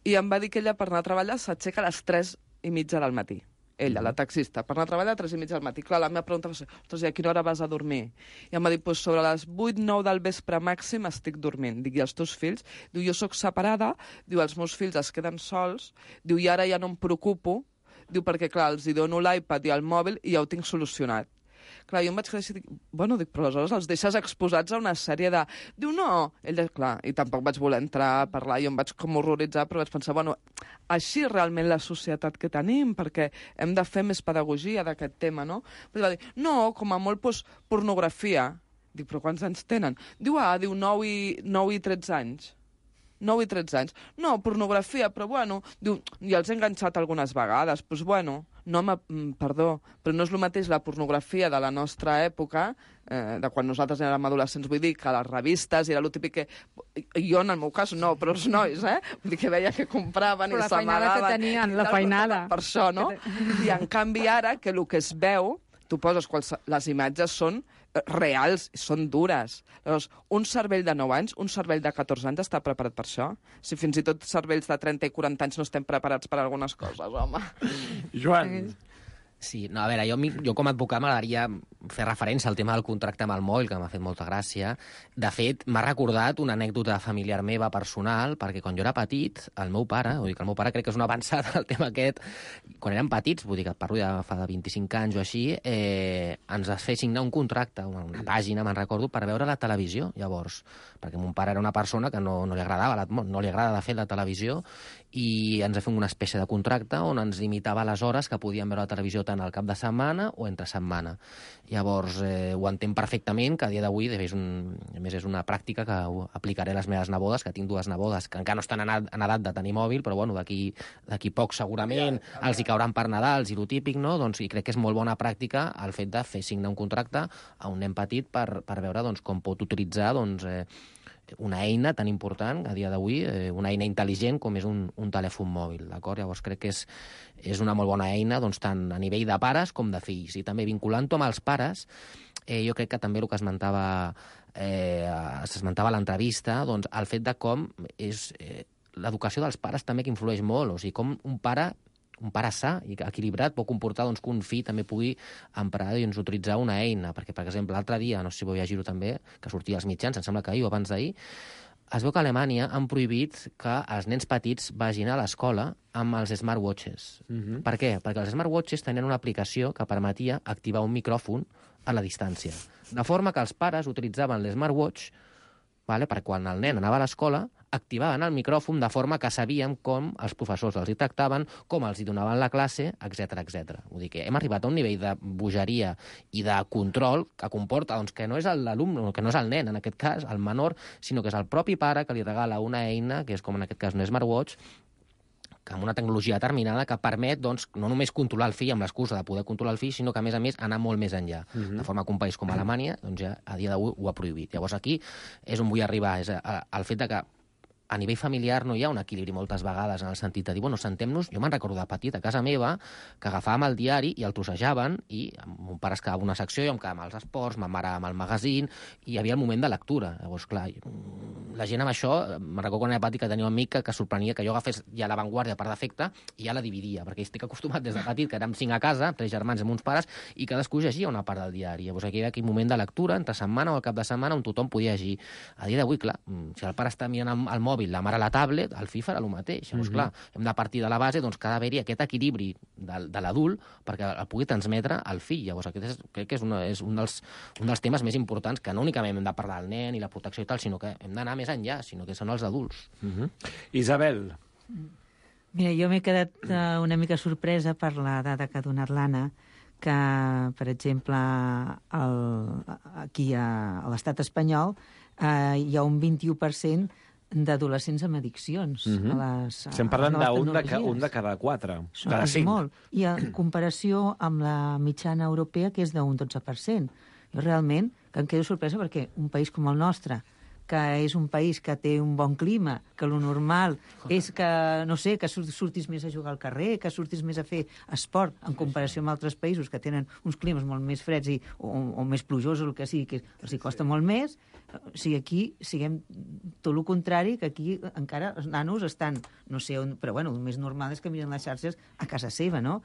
I em va dir que ella per anar a treballar s'aixeca a les 3:30 del matí. Ella, la taxista, per anar a treballar a 3:30 del matí. Clar, la meva pregunta va ser, ostres, i a quina hora vas a dormir? I em va dir, sobre les 8-9 del vespre màxim estic dormint. Dic, i els teus fills? Diu, jo sóc separada, diu, els meus fills es queden sols, diu, i ara ja no em preocupo, diu, perquè, clar, els hi dono l'iPad i el mòbil i ja ho tinc solucionat. Clar, jo em vaig quedar així, però aleshores els deixes exposats a una sèrie de... Diu, no! Ella, clar, i tampoc vaig voler entrar a parlar, jo em vaig com horroritzar, però vaig pensar, així realment la societat que tenim, perquè hem de fer més pedagogia d'aquest tema, no? Però va dir, no, com a molt, pornografia. Dic, però quants anys tenen? Diu, 9 i 13 anys. 9 i 13 anys. No, pornografia, però diu, ja els he enganxat algunes vegades, no, perdó, però no és el mateix la pornografia de la nostra època, de quan nosaltres érem adolescents, vull dir que a les revistes era el típic que... Jo, en el meu cas, no, però els nois, Vull dir que veia que compraven i s'amagaven. Però la feinada que tenien, la feinada. Per això, no? I en canvi ara, que el que es veu, tu poses les imatges són reals, són dures. Llavors, un cervell de 9 anys, un cervell de 14 anys està preparat per això? Si fins i tot cervells de 30 i 40 anys no estem preparats per algunes coses, home. Joan. Sí, no, a veure, jo com a advocat m'agradaria fer referència al tema del contracte amb el mòbil, que m'ha fet molta gràcia. De fet, m'ha recordat una anècdota familiar meva personal, perquè quan jo era petit, el meu pare, vull dir que el meu pare crec que és una avançada al tema aquest, quan érem petits, vull dir que parlo ja fa de 25 anys o així, ens va fer signar un contracte, una pàgina, me'n recordo, per veure la televisió, llavors, perquè mon pare era una persona que no li agradava, no li agrada de fet la televisió, i ens va fer una espècie de contracte on ens limitava les hores que podíem veure la televisió tant al cap de setmana o entre setmana. Llavors, ho entenc perfectament, que a dia d'avui, a més és una pràctica que aplicaré a les meves nebodes, que tinc 2 nebodes que encara no estan en edat de tenir mòbil, però d'aquí poc segurament els hi cauran per Nadals i lo típic, no? Doncs, i crec que és molt bona pràctica el fet de fer signar un contracte a un nen petit per veure com pot utilitzar una eina tan important a dia d'avui, una eina intel·ligent com és un telèfon mòbil, d'acord? Llavors crec que és una molt bona eina tant a nivell de pares com de fills. I també vinculant-ho amb els pares, jo crec que també el que s'esmentava a l'entrevista, doncs el fet de com és l'educació dels pares també que influeix molt, o sigui, com un pare sa i equilibrat pot comportar que un fill també pugui emprar i utilitzar una eina, perquè, per exemple, l'altre dia, no sé si vau llegir-ho també, que sortia als mitjans, em sembla que ahir o abans d'ahir, es veu que a Alemanya han prohibit que els nens petits vagin a l'escola amb els smartwatches. Per què? Perquè els smartwatches tenien una aplicació que permetia activar un micròfon a la distància. De forma que els pares utilitzaven l'smartwatch per quan el nen anava a l'escola, activaven el micròfon de forma que sabíem com els professors els hi tractaven, com els hi donaven la classe, etc etc. Vull dir que hem arribat a un nivell de bogeria i de control que comporta que no és l'alumne, que no és el nen, en aquest cas, el menor, sinó que és el propi pare que li regala una eina, que és com en aquest cas un smartwatch, amb una tecnologia determinada que permet doncs, no només controlar el fill amb l'excusa de poder controlar el fill, sinó que, a més, anar molt més enllà. De forma que un país com Alemanya doncs, ja a dia d'avui ho ha prohibit. Llavors aquí és on vull arribar, és el fet de que a nivell familiar no hi ha un equilibri moltes vegades en el sentit de dir, bueno, sentem-nos... Jo me'n recordo de petit, a casa meva, que agafàvem el diari i el trossejaven i mon pare es quedava una secció, jo em quedava amb els esports, ma mare amb el magazín, i hi havia el moment de lectura. Llavors, clar, la gent amb això... Me'n recordo quan era petit que tenia un amic que sorprenia que jo agafés ja l'avantguàrdia per defecte i ja la dividia, perquè estic acostumat des de petit, que érem 5 a casa, 3 germans amb uns pares, i cadascú llegia una part del diari. Llavors aquí hi havia aquell moment de lectura, entre setmana o al cap de setmana, on tothom podia llegir. A dia d'avui, clar, si el pare està mirant el mòbil, la mare a la tablet, el fill farà el mateix. Llavors, clar, hem de partir de la base doncs, que ha d'haver-hi aquest equilibri de l'adult perquè el pugui transmetre al fill. Llavors, aquest crec que és un dels temes més importants, que no únicament hem de parlar del nen i la protecció i tal, sinó que hem d'anar més enllà, sinó que són els adults. Isabel. Mira, jo m'he quedat una mica sorpresa per la dada que ha donat l'Anna, que, per exemple, aquí a l'estat espanyol hi ha un 21% d'adolescents amb addiccions. Estem parlant d'un de cada 4, cada 5. És molt. I en comparació amb la mitjana europea, que és d'un 12%. Jo realment que em quedo sorpresa perquè un país com el nostre, que és un país que té un bon clima, que lo normal és que, no sé, que surtis més a jugar al carrer, que surtis més a fer esport, en comparació amb altres països que tenen uns climes molt més freds o més plujosos, el que sigui, que els hi costa molt més. O sigui, aquí siguem tot el contrari, que aquí encara els nanos estan, no sé on, però bueno, el més normal és que miren les xarxes a casa seva, no?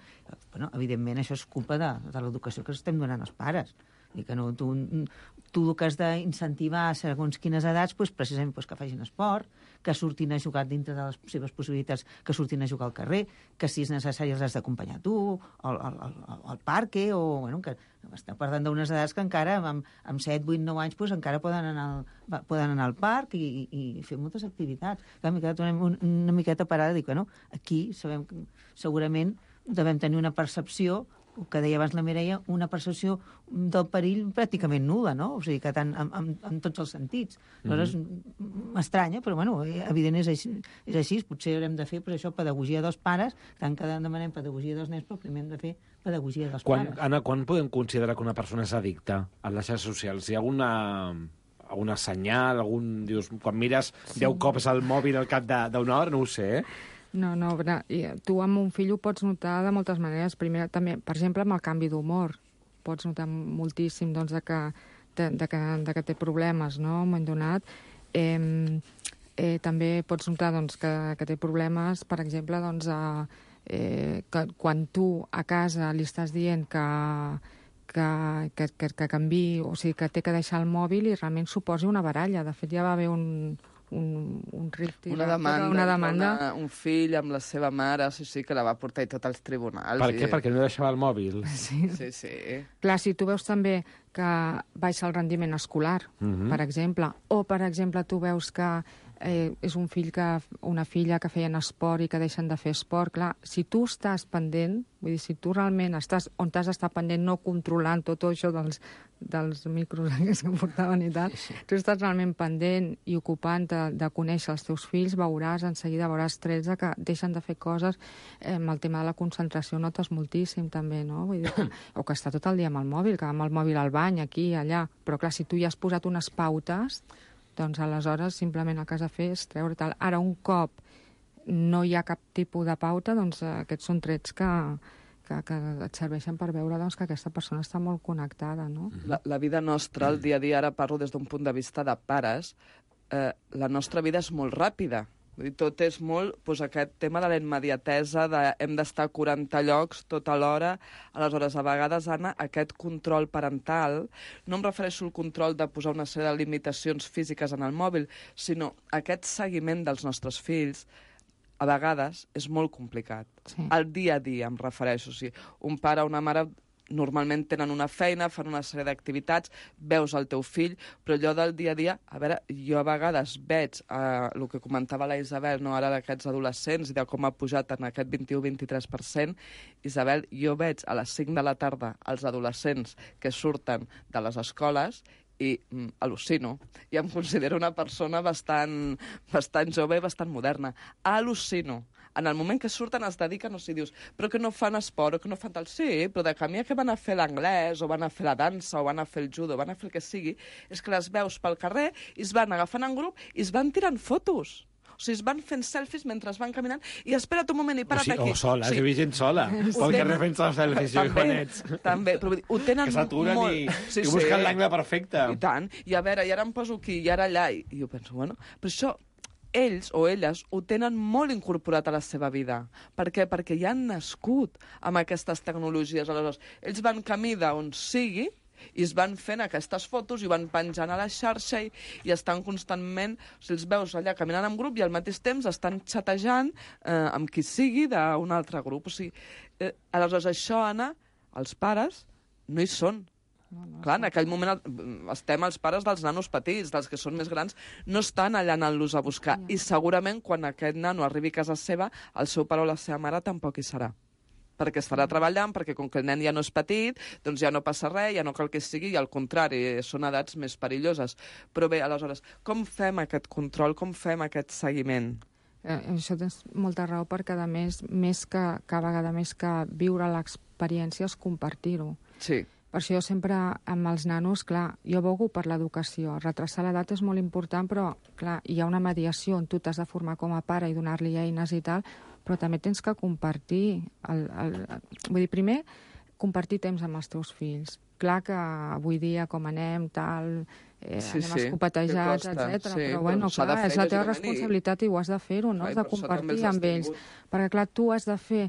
Bueno, evidentment això és culpa de l'educació que estem donant als pares. I que no, tu el que has d'incentivar a segons quines edats, doncs, precisament que facin esport, que surtin a jugar dintre de les seves possibilitats, que surtin a jugar al carrer, que si és necessari els has d'acompanyar tu, al parc, o bueno, que estem parlant d'unes edats que encara amb 7, 8, 9 anys doncs, encara poden anar al parc i fer moltes activitats. M'he quedat una miqueta parada i dic, bueno, aquí sabem que segurament devem tenir una percepció, el que deia abans la Mireia, una percepció del perill pràcticament nul·la, no? O sigui, que tant en tots els sentits. Aleshores, m'estranya, però, bueno, evident és així. Potser haurem de fer, per això, pedagogia dels pares, tant que demanem pedagogia dels nens, però primer hem de fer pedagogia dels pares. Anna, quan podem considerar que una persona és addicta a les xarxes socials? Hi ha alguna senyal, dius, quan mires 10 cops al mòbil al cap d'una hora, no ho sé, No, tu amb un fill ho pots notar de moltes maneres. Primer, també, per exemple, amb el canvi d'humor. Pots notar moltíssim doncs, de que té problemes, no?, un moment donat. També pots notar doncs, que té problemes, per exemple, doncs, que quan tu a casa li estàs dient que canviï, o sigui, que té que deixar el mòbil i realment suposi una baralla. De fet, ja va haver un rift, una demanda, un fill amb la seva mare, sí, que la va portar tot als tribunals. Per què? Perquè no deixava el mòbil. Sí. Clar, si tu veus també que baixa el rendiment escolar, per exemple, o, per exemple, tu veus que és un fill una filla que feien esport i que deixen de fer esport, clar, si tu estàs pendent, vull dir, si tu realment estàs on t'has d'estar pendent, no controlant tot això dels micros que portaven i tal, tu estàs realment pendent i ocupant de conèixer els teus fills, en seguida veuràs trets que deixen de fer coses. Amb el tema de la concentració notes moltíssim també, no? Vull dir, o que està tot el dia amb el mòbil, que amb el mòbil al bany, aquí, allà, però clar, si tu ja has posat unes pautes, doncs aleshores simplement el que has de fer és treure tal. Ara, un cop no hi ha cap tipus de pauta, doncs aquests són trets que et serveixen per veure doncs, que aquesta persona està molt connectada, no? La vida nostra, el dia a dia, ara parlo des d'un punt de vista de pares, la nostra vida és molt ràpida. Tot és molt aquest tema de la immediatesa, hem d'estar a 40 llocs tota l'hora. Aleshores, a vegades, Anna, aquest control parental, no em refereixo al control de posar una sèrie de limitacions físiques en el mòbil, sinó aquest seguiment dels nostres fills, a vegades és molt complicat. Sí. El dia a dia, em refereixo. O sigui, un pare o una mare normalment tenen una feina, fan una sèrie d'activitats, veus el teu fill, però allò del dia a dia, a veure, jo a vegades veig el que comentava la Isabel, no, ara d'aquests adolescents i de com ha pujat en aquest 21-23%, Isabel, jo veig a les 5 de la tarda els adolescents que surten de les escoles i al·lucino. I em considero una persona bastant jove i bastant moderna. Al·lucino. en el moment que surten es dediquen, o sigui, dius, però que no fan esport o que no fan tal... Sí, però de camí que van a fer l'anglès o van a fer la dansa o van a fer el judo o van a fer el que sigui, és que les veus pel carrer i es van agafant en grup i es van tirant fotos. O sigui, es van fent selfies mentre es van caminant i espera't un moment i para't aquí. O sola, he vist gent sola. Pel carrer fent-se les selfies i guanets. També, però ho tenen que s'aturen molt... i busquen l'angle perfecte. I tant. I a veure, i ara em poso aquí, i ara allà. I jo penso, bueno, però això... Ells o elles ho tenen molt incorporat a la seva vida. Per què? Perquè ja han nascut amb aquestes tecnologies. Aleshores, ells van camí d'on sigui i es van fent aquestes fotos i van penjant a la xarxa i estan constantment... O sigui, els veus allà caminant en grup i al mateix temps estan xatejant amb qui sigui d'un altre grup. O sigui, aleshores, això, Anna, els pares no hi són. Clar, en aquell moment estem els pares dels nanos petits, dels que són més grans, no estan allà anant-los a buscar. I segurament quan aquest nano arribi a casa seva, el seu pare o la seva mare tampoc hi serà. Perquè estarà treballant, perquè com que el nen ja no és petit, doncs ja no passa res, ja no cal que sigui, i al contrari, són edats més perilloses. Però bé, aleshores, com fem aquest control, com fem aquest seguiment? Això tens molta raó, perquè a més que a vegada més que viure l'experiència és compartir-ho. Sí. Per això jo sempre, amb els nanos, clar, jo abogo per l'educació. Retrasar l'edat és molt important, però, clar, hi ha una mediació on tu t'has de formar com a pare i donar-li eines i tal, però també tens que compartir. Vull dir, primer, compartir temps amb els teus fills. Clar que avui dia, com anem, tal, anem escopetejats, etc. Però, bueno, clar, és la teva responsabilitat i ho has de fer-ho, no? Has de compartir amb ells. Perquè, clar, tu has de fer...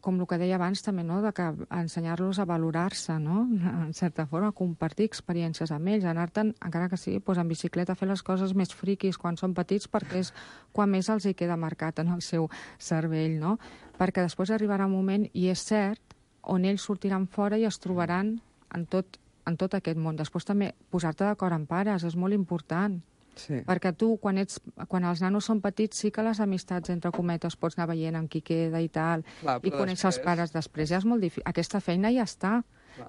com el que deia abans també, no? De que ensenyar-los a valorar-se, no? En certa forma, compartir experiències amb ells, anar-te'n, encara que sigui en bicicleta, a fer les coses més friquis quan són petits, perquè és quan més els hi queda marcat en el seu cervell, no? Perquè després arribarà un moment, i és cert, on ells sortiran fora i es trobaran en tot aquest món. Després també posar-te d'acord amb pares és molt important. Sí. Perquè tu, quan els nanos són petits, sí que les amistats, entre cometes, pots anar veient amb qui queda i tal, i conèixer els pares després. Ja és molt difícil. Aquesta feina ja està.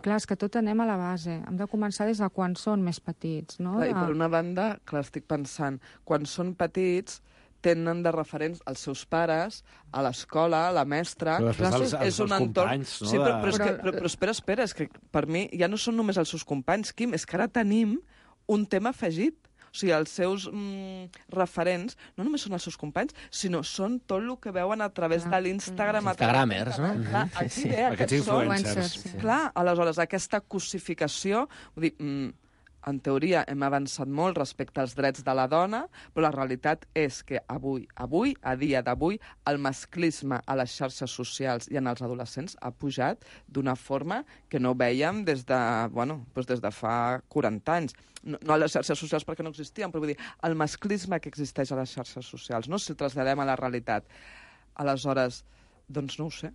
Clar, és que tot anem a la base. Hem de començar des de quan són més petits, no? Clar, i per una banda, clar, estic pensant, quan són petits tenen de referents els seus pares, a l'escola, a la mestra... Però després els companys, no? Sí, però espera, és que per mi ja no són només els seus companys, Quim, és que ara tenim un tema afegit. O sigui, els seus referents no només són els seus companys, sinó són tot el que veuen a través de l'Instagram. Instagramers, no? Clar, aquí ve, aquests influencers. Clar, aleshores, aquesta cosificació... Vull dir, en teoria hem avançat molt respecte als drets de la dona, però la realitat és que avui, a dia d'avui, el masclisme a les xarxes socials i en els adolescents ha pujat d'una forma que no vèiem des de fa 40 anys. No a les xarxes socials perquè no existien, però vull dir, el masclisme que existeix a les xarxes socials, no? Si el traslladem a la realitat. Aleshores, doncs no ho sé.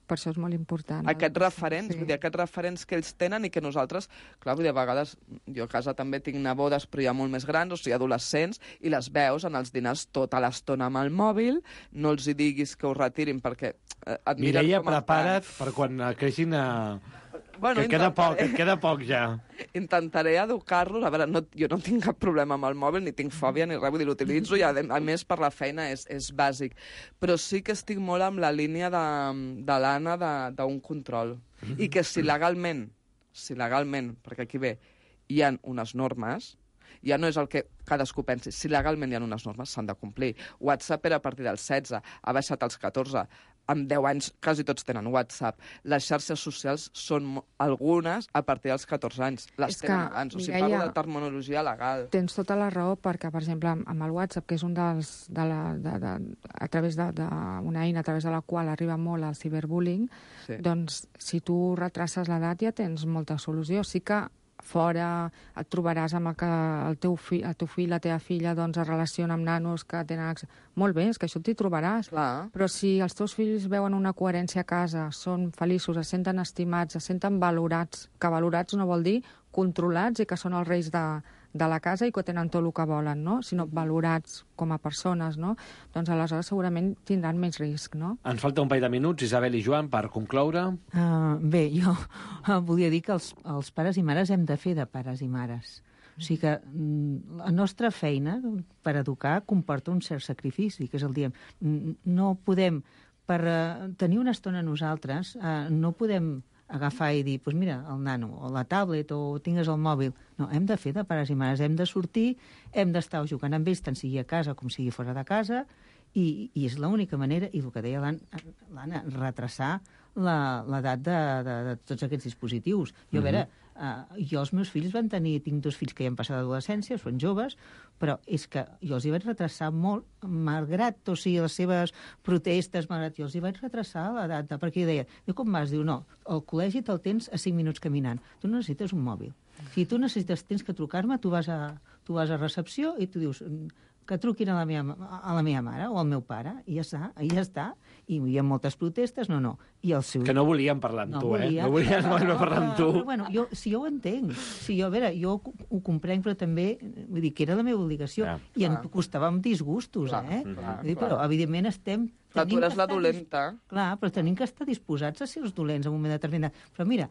Per això és molt important. Aquests referents, vull dir, aquests referents que ells tenen i que nosaltres, clar, vull dir, a vegades, jo a casa també tinc nebodes, però ja molt més grans, o sigui, adolescents, i les veus en els dinars tota l'estona amb el mòbil, no els hi diguis que ho retirin perquè et miren Mireia, com prepara't per quan creixin a... Bueno, que et queda poc ja. Intentaré educar-los. A veure, jo no tinc cap problema amb el mòbil, ni tinc fòbia ni res, vull dir, l'utilitzo i a més per la feina és bàsic. Però sí que estic molt amb la línia de l'Anna d'un control. I que si legalment, perquè aquí ve, hi ha unes normes, ja no és el que cadascú pensi. Si legalment hi ha unes normes, s'han de complir. WhatsApp era a partir dels 16, ha baixat als 14. Amb 10 anys quasi tots tenen WhatsApp. Les xarxes socials són algunes a partir dels 14 anys. Les tenen abans. O sigui, parlo de terminologia legal. Tens tota la raó perquè, per exemple, amb el WhatsApp, que és un dels... a través d'una eina a través de la qual arriba molt el ciberbullying, doncs si tu retraces l'edat ja tens molta solució. Sí que fora et trobaràs amb el teu fill, la teva filla, doncs es relaciona amb nanos que tenen... Molt bé, és que això t'hi trobaràs. Clar. Però si els teus fills veuen una coherència a casa, són feliços, es senten estimats, es senten valorats, que valorats no vol dir controlats i que són els reis de la casa i que tenen tot el que volen, no? Sinó valorats com a persones, no? Doncs aleshores segurament tindran més risc, no? Ens falta un parell de minuts, Isabel i Joan, per concloure. Bé, jo volia dir que els pares i mares hem de fer de pares i mares. O sigui que la nostra feina per educar comporta un cert sacrifici, que és el diem. No podem, per tenir una estona nosaltres, no podem agafar i dir, doncs mira, el nano, o la tablet, o tingues el mòbil. No, hem de fer de pares i mares, hem de sortir, hem d'estar jugant amb ells, tant sigui a casa com sigui fora de casa, i és l'única manera, i el que deia l'Anna, retrasar l'edat de tots aquests dispositius. Jo, a veure, jo els meus fills tinc 2 fills que ja han passat l'adolescència, són joves, però és que jo els hi vaig retrasar molt, malgrat, o sigui, les seves protestes, malgrat jo els hi vaig retrasar l'edat, perquè jo deia, com vas? Diu, no, al col·legi te'l tens a 5 minuts caminant, tu no necessites un mòbil. Si tu tens que trucar-me, tu vas a recepció i tu dius que truquin a la meva mare o al meu pare, i ja està. I hi ha moltes protestes, no. I el seu... Que no volien parlar amb tu, volia. No volien parlar amb tu. Però, bueno, jo ho entenc. A veure, jo ho comprenc, però també, vull dir, que era la meva obligació. I em costava amb disgustos, Però, evidentment, Clar, tu eres la dolenta. Clar, però tenim que estar disposats a ser els dolents en un moment determinat. Però mira,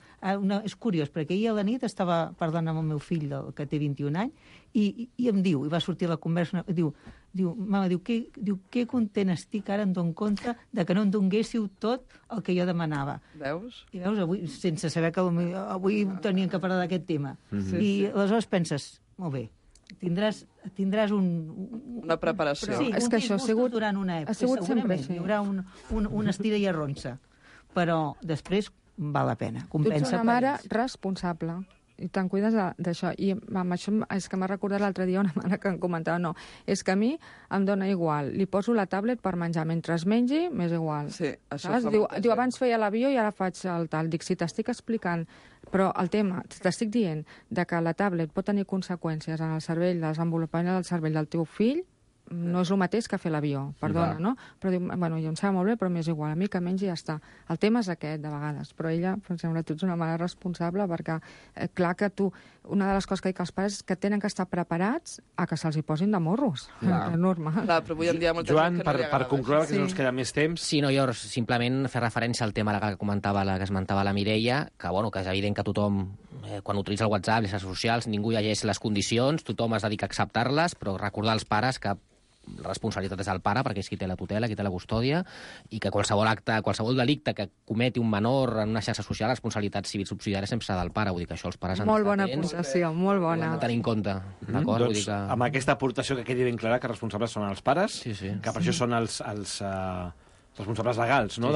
és curiós, perquè ahir a la nit estava parlant amb el meu fill, que té 21 anys, i em diu, i va sortir a la conversa, mama, que content estic, ara em dono compte de que no em donguéssiu tot el que jo demanava. Veus? I veus, avui, sense saber que avui tenien que parlar d'aquest tema. I aleshores penses, molt bé, tindràs una preparació. Sí, és que això ha sigut durant una època. Segurament hi haurà una estira i arronsa. Però després val la pena. Tu ets una mare responsable i te'n cuides d'això. I amb això és que m'ha recordat l'altre dia una mare que em comentava, no, és que a mi em dona igual, li poso la tablet per menjar, mentre es mengi, m'és igual. Sí, això diu, abans feia l'avió i ara faig el tal. Dic, si t'estic explicant, però el tema, t'estic dient de que la tablet pot tenir conseqüències en el cervell, desenvolupament del cervell del teu fill, no és el mateix que fer l'avió, perdona, no? Però diu, bueno, jo em sembla molt bé, però m'és igual, a mi que mengi ja està. El tema és aquest, de vegades, però ella, per exemple, tu ets una mare responsable perquè, clar que tu, una de les coses que dic als pares és que tenen que estar preparats a que se'ls hi posin de morros. És normal. Clar, però avui en dia molta Joan, gent que no li agrada. per concloure, que no ens queda més temps... Sí, no, jo simplement fer referència al tema que comentava que esmentava la Mireia, que, bueno, que és evident que tothom, quan utilitza el WhatsApp, les xarxes socials, ningú llegeix les condicions, tothom es dedica a acceptar-les, però recordar als pares que la responsabilitat és del pare, perquè és qui té la tutela, qui té la custòdia, i que qualsevol acte, qualsevol delicte que cometi un menor en una xarxa social, la responsabilitat civil subsidiària sempre serà del pare. Vull dir que això els pares han molt bona aportació, molt bona. Ho han de tenir en compte, d'acord? Doncs, amb aquesta aportació que quedi ben clara que els responsables són els pares, que per això són els responsables legals, no?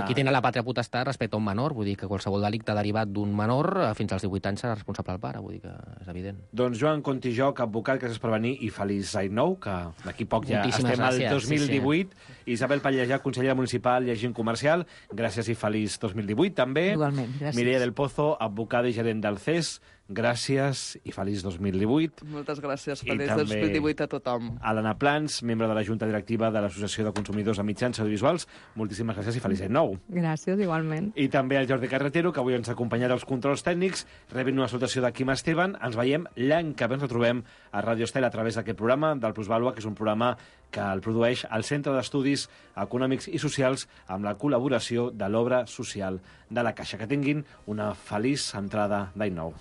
Qui tenen la pàtria potestat respecte a un menor, vull dir que qualsevol delicte derivat d'un menor fins als 18 anys serà responsable del pare, vull dir que és evident. Doncs Joan Contijoc, advocat, gràcies per venir, i feliç any nou, que d'aquí poc ja estem al 2018. Isabel Pallejà, consellera municipal i agent comercial, gràcies i feliç 2018 també. Igualment, gràcies. Mireia del Pozo, advocada i gerent del CES, gràcies i feliç 2018. Moltes gràcies, feliç 2018 a tothom. A l'Anna Plans, membre de la Junta Directiva de l'Associació de Consumidors de Mitjans Audiovisuals, moltíssimes gràcies i feliç any nou. Gràcies, igualment. I també al Jordi Carretero, que avui ens ha acompanyat als controls tècnics, rebent una salutació de Quim Esteban. Ens veiem l'any que ve, ens retrobem a Radio Estel a través d'aquest programa del Plusvàlua, que és un programa que el produeix el Centre d'Estudis Econòmics i Socials amb la col·laboració de l'Obra Social de la Caixa. Que tinguin una feliç entrada d'any nou.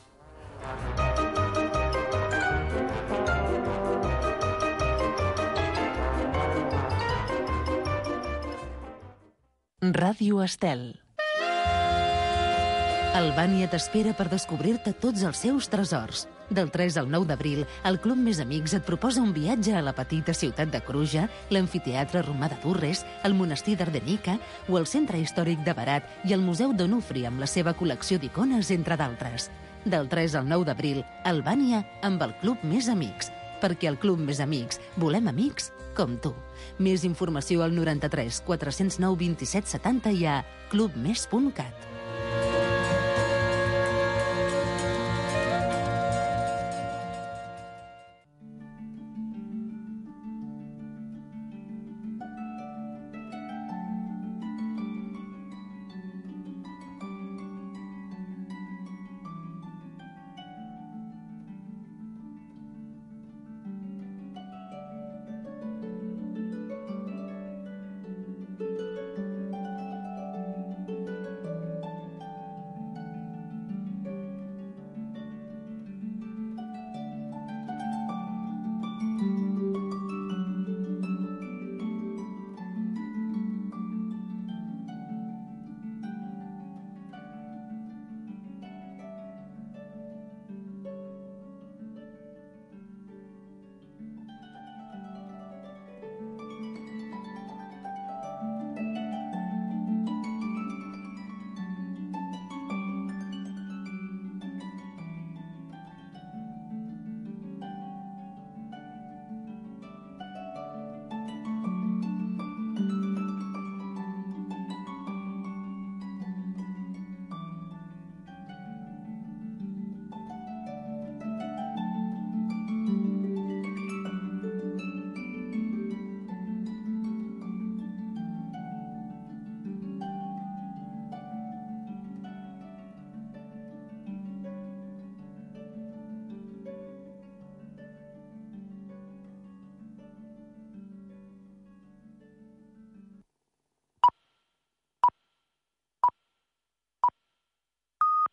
Ràdio Estel. Albània t'espera per descobrir-te tots els seus tresors. Del 3 al 9 d'abril, el Club Més Amics et proposa un viatge a la petita ciutat de Cruja, l'amfiteatre romà de Durres, el monestir d'Ardenica o el centre històric de Berat i el Museu d'Onufri amb la seva col·lecció d'icones, entre d'altres. Del 3 al 9 d'abril, Albània amb el Club Més Amics. Perquè el Club Més Amics volem amics com tu. Més informació al 93 409 27 70 i a clubmes.cat.